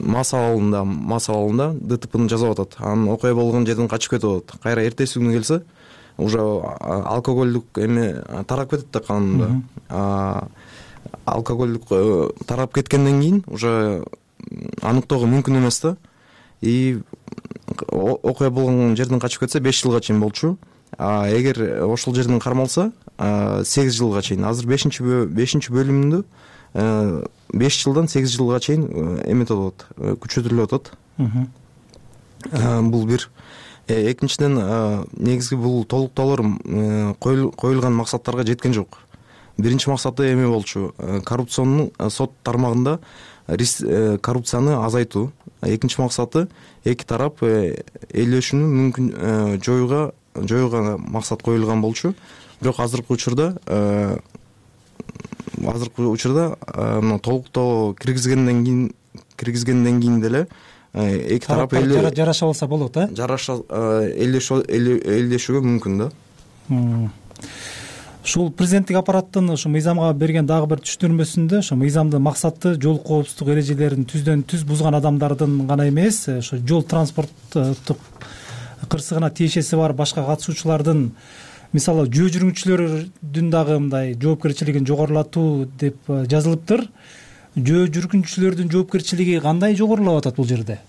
Мас абалында, мас абалында ДТПны жасап атат. Анан окуя болгон жерден качып кетип атат. Кайра эртеси күнү келсе, уже алкоголдук эме тарап кетет да канунда. Алкоголдук тарап кеткенден кийин уже аныктоого мүмкүн эмес да. И окуя болгон жерден качып кетсе беш жылга чейин болчу. А эгер ошол жерден кармалса сегиз жылга чейин. Азыр бешинчи бешинчи бөлүмүндө беш жылдан сегиз жылга чейин эметип атат, күчөтүлүп атат. Бул бир. Экинчиден, негизги бул толуктоолор коюлган максаттарга жеткен жок. Биринчи максаты эме болчу, коррупционун сот тармагында коррупцияны азайтуу. Экинчи максаты эки тарап ээлешүүнү мүмкүн жоюуга жоюуга максат коюлган болчу. Бирок азыркы учурда азыркы учурда мына толуктоо киргизгенден кийин киргизгенден кийин деле эки тарап жараша алса болот, э? Жараша ээлешүүгө мүмкүн да. Ушул президенттик аппараттын ушу мыйзамга берген дагы бир түшүндүрмөсүндө ошо мыйзамдын максаты жол коопсуздук эрежелерин түздөн түз бузган адамдардын гана эмес, ошо жол транспорттук кырсыгына тиешеси бар башка катышуучулардын, мисалы жөө жүргүнчүлөрдүн дагы мындай жоопкерчилигин жогорулатуу деп жазылыптыр. Жөө жүргүнчүлөрдүн жоопкерчилиги кандай жогорулап атат бул жерде?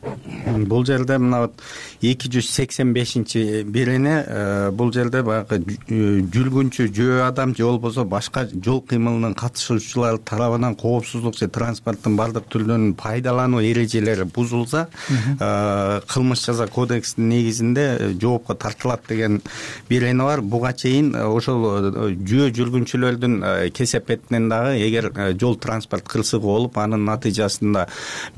Бул жерде мына эки жүз сексен бешинчи берене бул жерде баягы жүргүнчү жөө адам же болбосо башка жол кыймылынын катышуучулары тарабынан коопсуздук же транспорттун бардык түрлөрүн пайдалануу эрежелери бузулса, кылмыш жаза кодексинин негизинде жоопко тартылат деген берене бар. Буга чейин ошол жөө жүргүнчүлөрдүн кесепетинен дагы эгер жол транспорт кырсыгы болуп, анын натыйжасында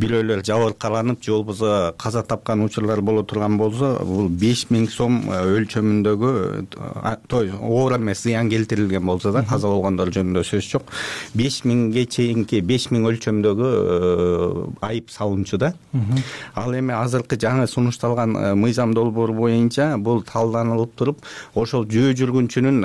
бирөөлөр жабыркаланып, жол каза тапкан учурлар боло турган болсо, бул беш миң сом өлчөмүндөгү оор эмес зыян келтирилген болсо да, каза болгондор жөнүндө сөз жок, беш миңге чейинки беш миң өлчөмдөгү айып салынчу да. Ал эми азыркы жаңы сунушталган мыйзам долбоору боюнча бул талданылып туруп, ошол жөө жүргүнчүнүн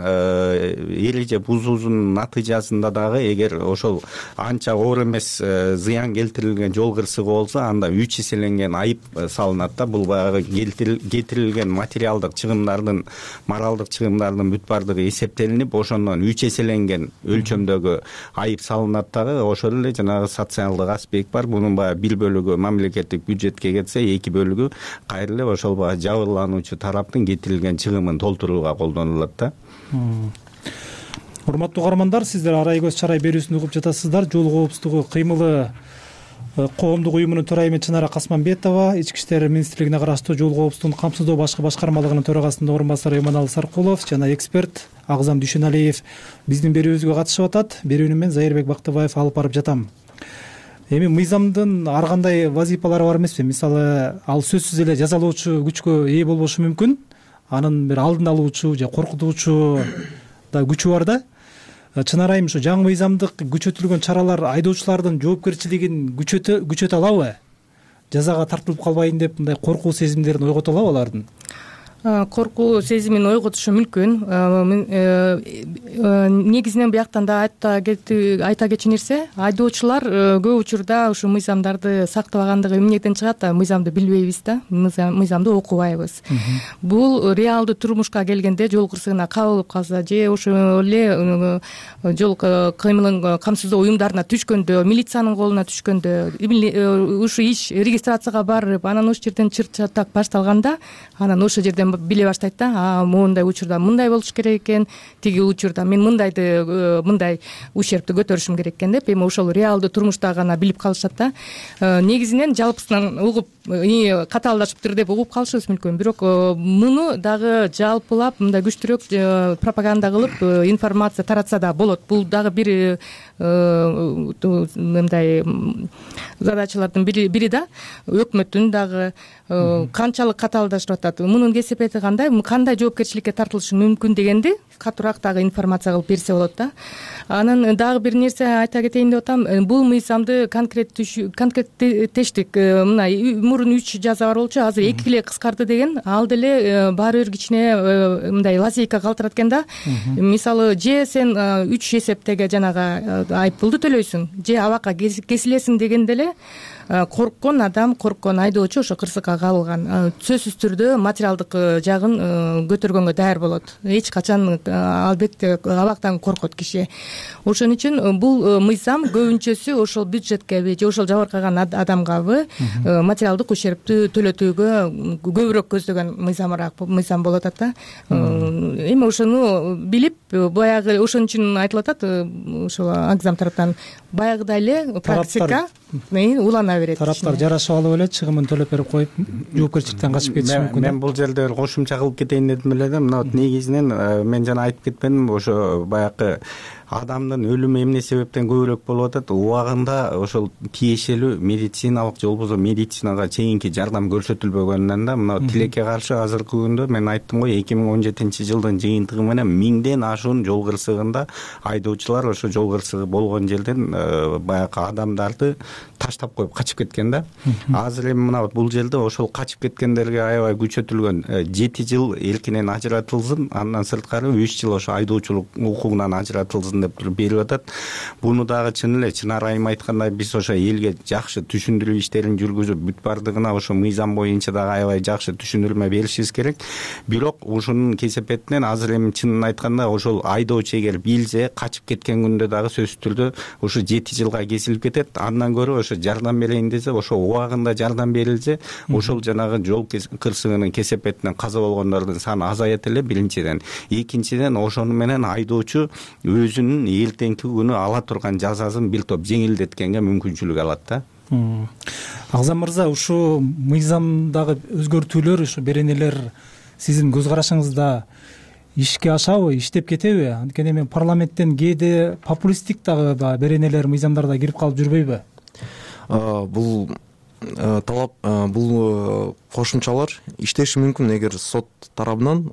эреже бузуусунун натыйжасында дагы эгер ошол анча оор эмес зыян келтирилген жол кырсыгы болсо, анда үч эселенген айып салынат да. Бул баягы кетирилген материалдык чыгымдардын, моралдык чыгымдардын бүт бардыгы эсептелинип, ошондон үч эселенген өлчөмдөгү айып салынат дагы. Ошол эле жанагы социалдык аспект бар. Мунун баягы бир бөлүгү мамлекеттик бюджетке кетсе, эки бөлүгү кайра эле ошол баягы жабырлануучу тараптын кетирилген чыгымын толтурууга колдонулат да. урматтуу угармандар, сиздер Арай көз чарай берүүсүн угуп жатасыздар. Жол коопсуздугу кыймылы коомдук уюмунун төрайымы Чынара Касманбетова, Ички иштер министрлигине караштуу жол коопсуздугун камсыздоо башкы башкармалыгынын төрагасынын орун басары Эманалы Саркулов жана эксперт Агзам Дүйшөналиев биздин берүүбүзгө катышып атат. Берүүнү мен Зайырбек Бактыбаев алып барып жатам. Эми мыйзамдын ар кандай вазифалары бар эмеспи? Мисалы, ал сөзсүз эле жазалоочу күчкө ээ болбошу мүмкүн. Анын бир алдын алуучу же коркутуучу да күчү бар да. Чынар айым, ушу жаңы мыйзамдык күчөтүлгөн чаралар айдоочулардын жоопкерчилигин күчөтө күчөтө алабы? Жазага тартылып калбайын деп мындай коркуу сезимдерин ойгото алабы алардын? Коркуу сезимин ойготушу мүмкүн. Негизинен буяктан да айта кетчү нерсе, айдоочулар көп учурда ушу мыйзамдарды сактабагандыгы эмнеден чыгат? Мыйзамды билбейбиз да, мыйзамды окубайбыз. Бул реалдуу турмушка келгенде жол кырсыгына кабылып калса же ошол эле жол кыймылын камсыздоо уюмдарына түшкөндө, милициянын колуна түшкөндө, ушу иш регистрацияга барып, анан ошол жерден чыр чатак башталганда, анан ошол жерден биле баштайт да, а моундай учурда мындай болуш керек экен, тиги учурда мен мындайды мындай ущербти көтөрүшүм керек экен деп, эми ошол реалдуу турмушта гана билип калышат да. Негизинен жалпысынан угуп, катаалдашыптыр деп угуп калышыбыз мүмкүн. Бирок муну дагы жалпылап мындай күчтүүрөөк пропаганда кылып информация таратса да болот. Бул дагы бир мындай задачалардын бири да. Өкмөттүн дагы канчалык катаалдашып атат, мунун кесепети кандай, кандай жоопкерчиликке тартылышы мүмкүн дегенди катуураак дагы информация кылып берсе болот да. Анан дагы бир нерсе айта кетейин деп атам. Бул мыйзамды конкреттештик, мына мурун үч жаза бар болчу, азыр эки эле кыскарды деген, ал деле баары бир кичине мындай лазейка калтырат экен да. Мисалы, же сен үч эсептеге жанагы айыппулду төлөйсүң, же абакка кесилесиң дегенде эле корккон адам, корккон айдоочу ошо кырсыкка кабылган сөзсүз түрдө материалдык жагын көтөргөнгө даяр болот. Эч качан албетте абактан коркот киши. Ошон үчүн бул мыйзам көбүнчөсү ошол бюджеткеби же ошол жабыркаган адамгабы материалдык ушербти төлөтүүгө көбүрөөк көздөгөн мыйзамыраак мыйзам болуп атат да. Эми ошону билип, баягы ошон үчүн айтылып атат ошол Агзам тараптан, баягыдай эле практика улана берет. Тараптар жарашып алып эле чыгымын төлөп берип коюп, жоопкерчиликтен качып кетиши мүмкүн. Мен бул жерде кошумча кылып кетейин дедим эле да. Мына негизинен мен жана айтып кетпедимби, ошо баягы адамдын өлүмү эмне себептен көбүрөөк болуп атат? Убагында ошол тиешелүү медициналык же болбосо медицинага чейинки жардам көрсөтүлбөгөнүнөн да, мына тилекке каршы азыркы күндө мен айттым го, эки миң он жетинчи жылдын жыйынтыгы менен миңден ашуун жол кырсыгында айдоочулар ошо жол кырсыгы болгон жерден баягы адамдарды таштап коюп качып кеткен да. Азыр эми мына бул жерде ошол качып кеткендерге аябай күчөтүлгөн жети жыл эркинен ажыратылсын, андан сырткары үч жыл ошо айдоочулук укугунан ажыратылсын деп туруп берип атат. Буну дагы чын эле Чынар айым айткандай биз ошо элге жакшы түшүндүрүү иштерин жүргүзүп, бүт бардыгына ошо мыйзам боюнча дагы аябай жакшы түшүндүрмө беришибиз керек. Бирок ушунун кесепетинен азыр эми чынын айтканда ошол айдоочу эгер билсе, качып кеткен күндө дагы сөзсүз түрдө ошо жети жылга кесилип кетет. Андан көрө ошо жардам берейин десе, ошо убагында жардам берилсе, ошол жанагы жол кырсыгынын кесепетинен каза болгондордун саны азаят эле биринчиден. Экинчиден ошону менен айдоочу өзүнүн эртеңки күнү ала турган жазасын бир топ жеңилдеткенге мүмкүнчүлүк алат да. Агзам мырза, ушу мыйзамдагы өзгөртүүлөр, ушу беренелер сиздин көз карашыңызда ишке ашабы, иштеп кетеби? Анткени эми парламенттен кээде популисттик дагы беренелер, мыйзамдарда кирип калып жүрбөйбү? Бул талап, бул кошумчалар иштеши мүмкүн эгер сот тарабынан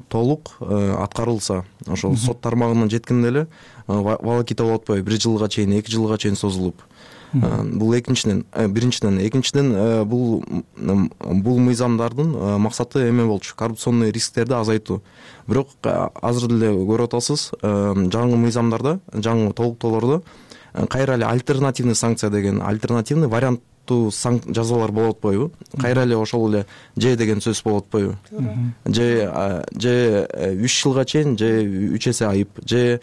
толук аткарылса. Ошол сот тармагына жеткенде эле волокита болуп атпайбы, бир жылга чейин, эки жылга чейин созулуп. Бул экинчиден, биринчиден, экинчиден бул бул мыйзамдардын максаты эме болчу, коррупционный рисктерди азайтуу. Бирок азыр деле көрүп атасыз, жаңы мыйзамдарда, жаңы толуктоолордо кайра эле альтернативный санкция деген, альтернативный вариант жазалар болуп атпайбы? Кайра эле ошол эле же деген сөз болуп атпайбы? Же же үч жылга чейин, же үч эсе айып, же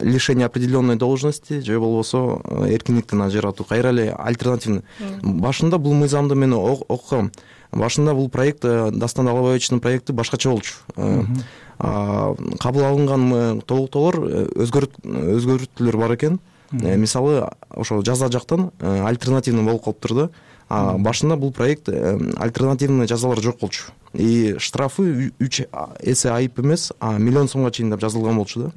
лишение определенной должности, же болбосо эркиндиктен ажыратуу. Кайра эле альтернативный. Башында бул мыйзамды мен окугам. Башында бул проект Дастан Алабаевичтин проекти башкача болчу. кабыл алынган толуктоолор өзгөртүүлөр бар экен. Мисалы ошо жаза жактан альтернативный болуп калыптыр да. Башында бул проект альтернативный жазалар жок болчу. И штрафы үч эсе айып эмес, а миллион сомго чейин деп жазылган болчу да.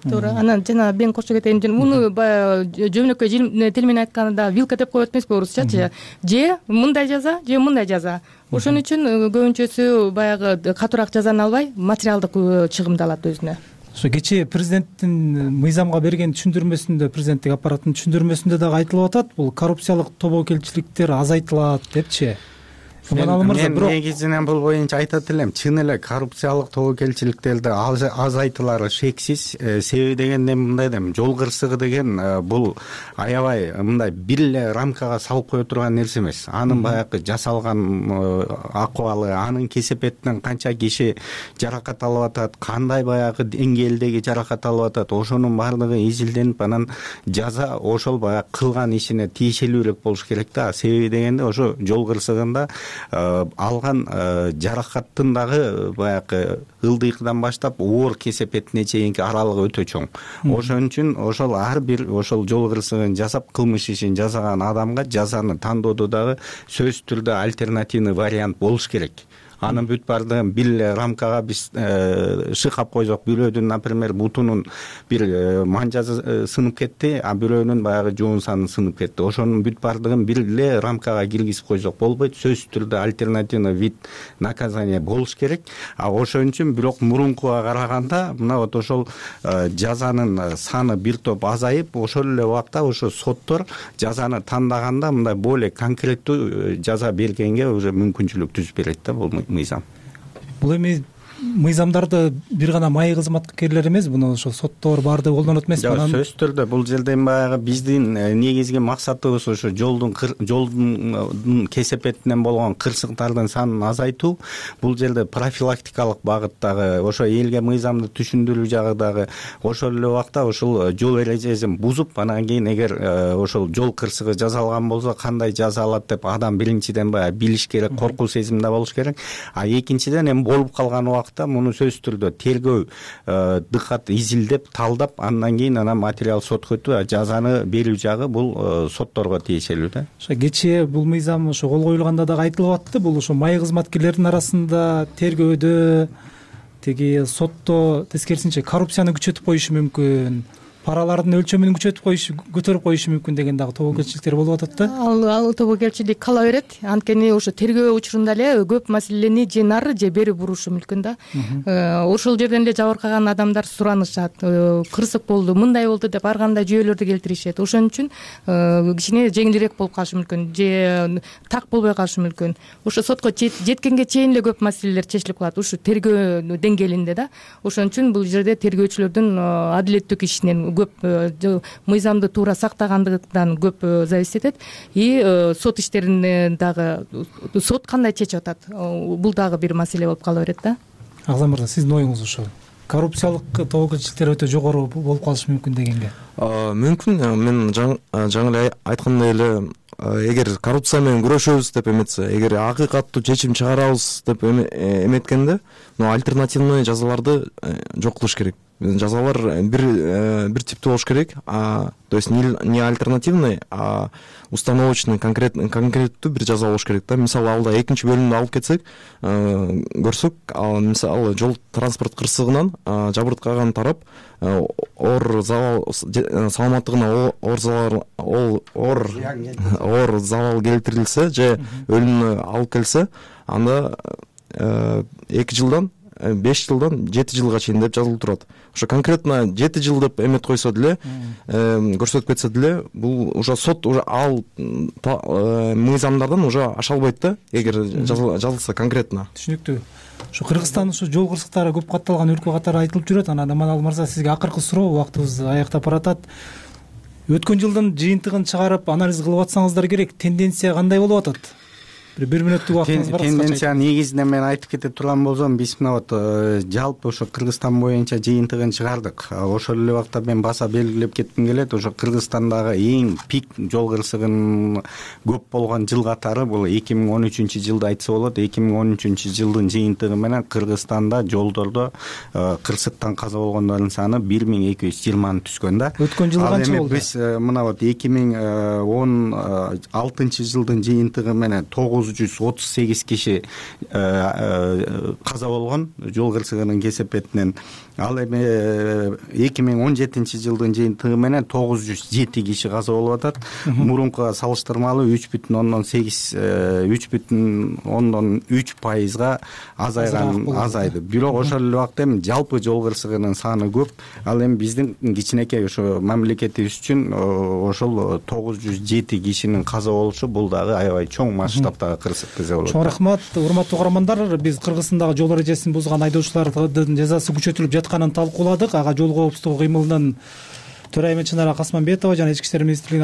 Туура. Анан жана мен кошо кетейин. Муну баягы жөнөкөй тил менен айтканда вилка деп коет эмеспи орусчачы? Же мындай жаза, же мындай жаза. Ошон үчүн көбүнчөсү баягы катуураак жазаны албай, материалдык чыгымды алат өзүнө. Ошо кечээ президенттин мыйзамга берген түшүндүрмөсүндө, президенттик аппараттын түшүндүрмөсүндө дагы айтылып атат, бул коррупциялык тобокелчиликтер азайтылат депчи. Мен негизинен бул боюнча айтат элем, чын эле коррупциялык тобокелчиликтерди азайтылары шексиз. Себеби дегенде мындай дейм, жол кырсыгы деген бул аябай мындай бир эле рамкага салып кое турган нерсе эмес. Анын баягы жасалган акыбалы, анын кесепетинен канча киши жаракат алып атат, кандай баягы деңгээлдеги жаракат алып атат, ошонун баардыгы изилденип, анан жаза ошол баягы кылган ишине тиешелүүрөөк болуш керек да. Себеби дегенде ошо жол кырсыгында алган жаракаттын дагы баягы ылдыйкыдан баштап оор кесепетине чейинки аралыгы өтө чоң. Ошон үчүн ошол ар бир ошол жол кырсыгын жасап кылмыш ишин жасаган адамга жазаны тандоодо дагы сөзсүз түрдө альтернативный вариант болуш керек. Анын бүт баардыгын бир эле рамкага биз шыкап койсок, бирөөдүн, например, бутунун бир манжасы сынып кетти, а бирөөнүн баягы жоон саны сынып кетти. Ошонун бүт баардыгын бир эле рамкага киргизип койсок болбойт. Сөзсүз түрдө альтернативный вид наказания болуш керек. А ошон үчүн бирок мурункуга караганда мына вот ошол жазанын саны бир топ азайып, ошол эле убакта ошо соттор жазаны тандаганда мындай более конкреттүү жаза бергенге уже мүмкүнчүлүк түзүп берет да бул мыйзам. Бул эми мыйзамдарды бир гана майы кызматкерлер эмес, буну ошо соттор баардыгы колдонот эмеспи? Жок, сөзсүз түрдө бул жерде баягы биздин негизги максатыбыз ошо жолдун жолдун кесепетинен болгон кырсыктардын санын азайтуу. Бул жерде профилактикалык багыттагы, ошо элге мыйзамды түшүндүрүү жагы дагы, ошол эле убакта ошол жол эрежесин бузуп, анан кийин эгер ошол жол кырсыгы жасалган болсо кандай жаза алат деп адам биринчиден баягы билиш керек, коркуу сезимде болуш керек. А экинчиден эми болуп калган убакта муну сөзсүз түрдө тергөө дыкат изилдеп, талдап, андан кийин анан материал сотко өтүп, жазаны берүү жагы бул сотторго тиешелүү да. Ошо кечээ бул мыйзам ошо кол коюлганда дагы айтылып атты, бул ошо майы кызматкерлердин арасында тергөөдө, тиги сотто тескерисинче коррупцияны күчөтүп коюшу мүмкүн, паралардын өлчөмүн күчөтүп коюшу, көтөрүп коюшу мүмкүн деген дагы тобокелчиликтер болуп атат да. Ал ал тобокелчилик кала берет. Анткени ошо тергөө учурунда эле көп маселени же нары же бери бурушу мүмкүн да. Ошол жерден эле жабыркаган адамдар суранышат, кырсык болду, мындай болду деп ар кандай жүйөлөрдү келтиришет. Ошон үчүн кичине жеңилирээк болуп калышы мүмкүн, же так болбой калышы мүмкүн. Ошо сотко жеткенге чейин эле көп маселелер чечилип калат, ушу тергөө деңгээлинде да. Ошон үчүн бул жерде тергөөчүлөрдүн адилеттүү ишинен көп мыйзамды туура сактагандыгынан көп зависит этет. И сот иштерин дагы сот кандай чечип атат, бул дагы бир маселе болуп кала берет да. Агзам мырза, сиздин оюңуз ошо? Коррупциялык тобокелчиликтер өтө жогору болуп калышы мүмкүн дегенге. Мүмкүн. Мен жаңы эле айткандай эле, эгер коррупция менен күрөшөбүз деп эметсе, эгер акыйкаттуу чечим чыгарабыз деп эметкенде, альтернативный жазаларды жок кылыш керек. Жазалар бир бир типтүү болуш керек, то есть не альтернативный, а установочный, конкреттүү бир жаза болуш керек да. Мисалы алда экинчи бөлүмдү алып кетсек, көрсөк, ал мисалы жол транспорт кырсыгынан жабыркаган тарап оор залал, саламаттыгына оор залал оор залал келтирилсе же өлүмүнө алып келсе, анда эки жылдан беш жылдан жети жылга чейин деп жазылып турат. Ошо конкретно жети жыл деп эметип койсо деле, көрсөтүп кетсе деле, бул уже сот уже ал мыйзамдардан уже аша албайт да, эгер жазылса конкретно. Түшүнүктүү. Ошо Кыргызстан ошо жол кырсыктары көп катталган өлкө катары айтылып жүрөт. Анан Аманалы мырза, сизге акыркы суроо, убактыбыз аяктап баратат. Өткөн жылдын жыйынтыгын чыгарып анализ кылып атсаңыздар керек, тенденция кандай болуп атат? бир бир мүнөттүк убактыңыз бар. Тенденция негизинен мен айтып кете турган болсом, биз мына вот жалпы ошо Кыргызстан боюнча жыйынтыгын чыгардык. Ошол эле убакта мен баса белгилеп кетким келет, ошо Кыргызстандагы эң пик жол кырсыгынын көп болгон жыл катары бул эки миң он үчүнчү жылды айтса болот. эки миң он үчүнчү жылдын жыйынтыгы менен Кыргызстанда жолдордо кырсыктан каза болгондордун саны бир миң эки жүз жыйырманы түзгөн да. Өткөн жылы канча болду? Биз мына вот эки миң он алтынчы жылдын жыйынтыгы менен тогуз жүз отуз сегиз киши каза болгон жол кырсыгынын кесепетинен. Ал эми эки миң он жетинчи жылдын жыйынтыгы менен тогуз жүз жети киши каза болуп атат. Мурункуга салыштырмалуу үч бүтүн ондон сегиз үч бүтүн ондон үч пайызга азайган азайды. Бирок ошол эле убакта эми жалпы жол кырсыгынын саны көп. Ал эми биздин кичинекей ошо мамлекетибиз үчүн ошол тогуз жүз жети кишинин каза болушу бул дагы аябай чоң масштабтагы кырсык десе болот. Чоң рахмат, урматтуу угармандар. Биз Кыргызстандагы жол эрежесин бузган айдоочулардын жазасы күчөтүлүп жатканын талкууладык. Ага жол коопсуздугу кыймылынын төрайымы Чынара Касманбетова жана Ички иштер министрлигинин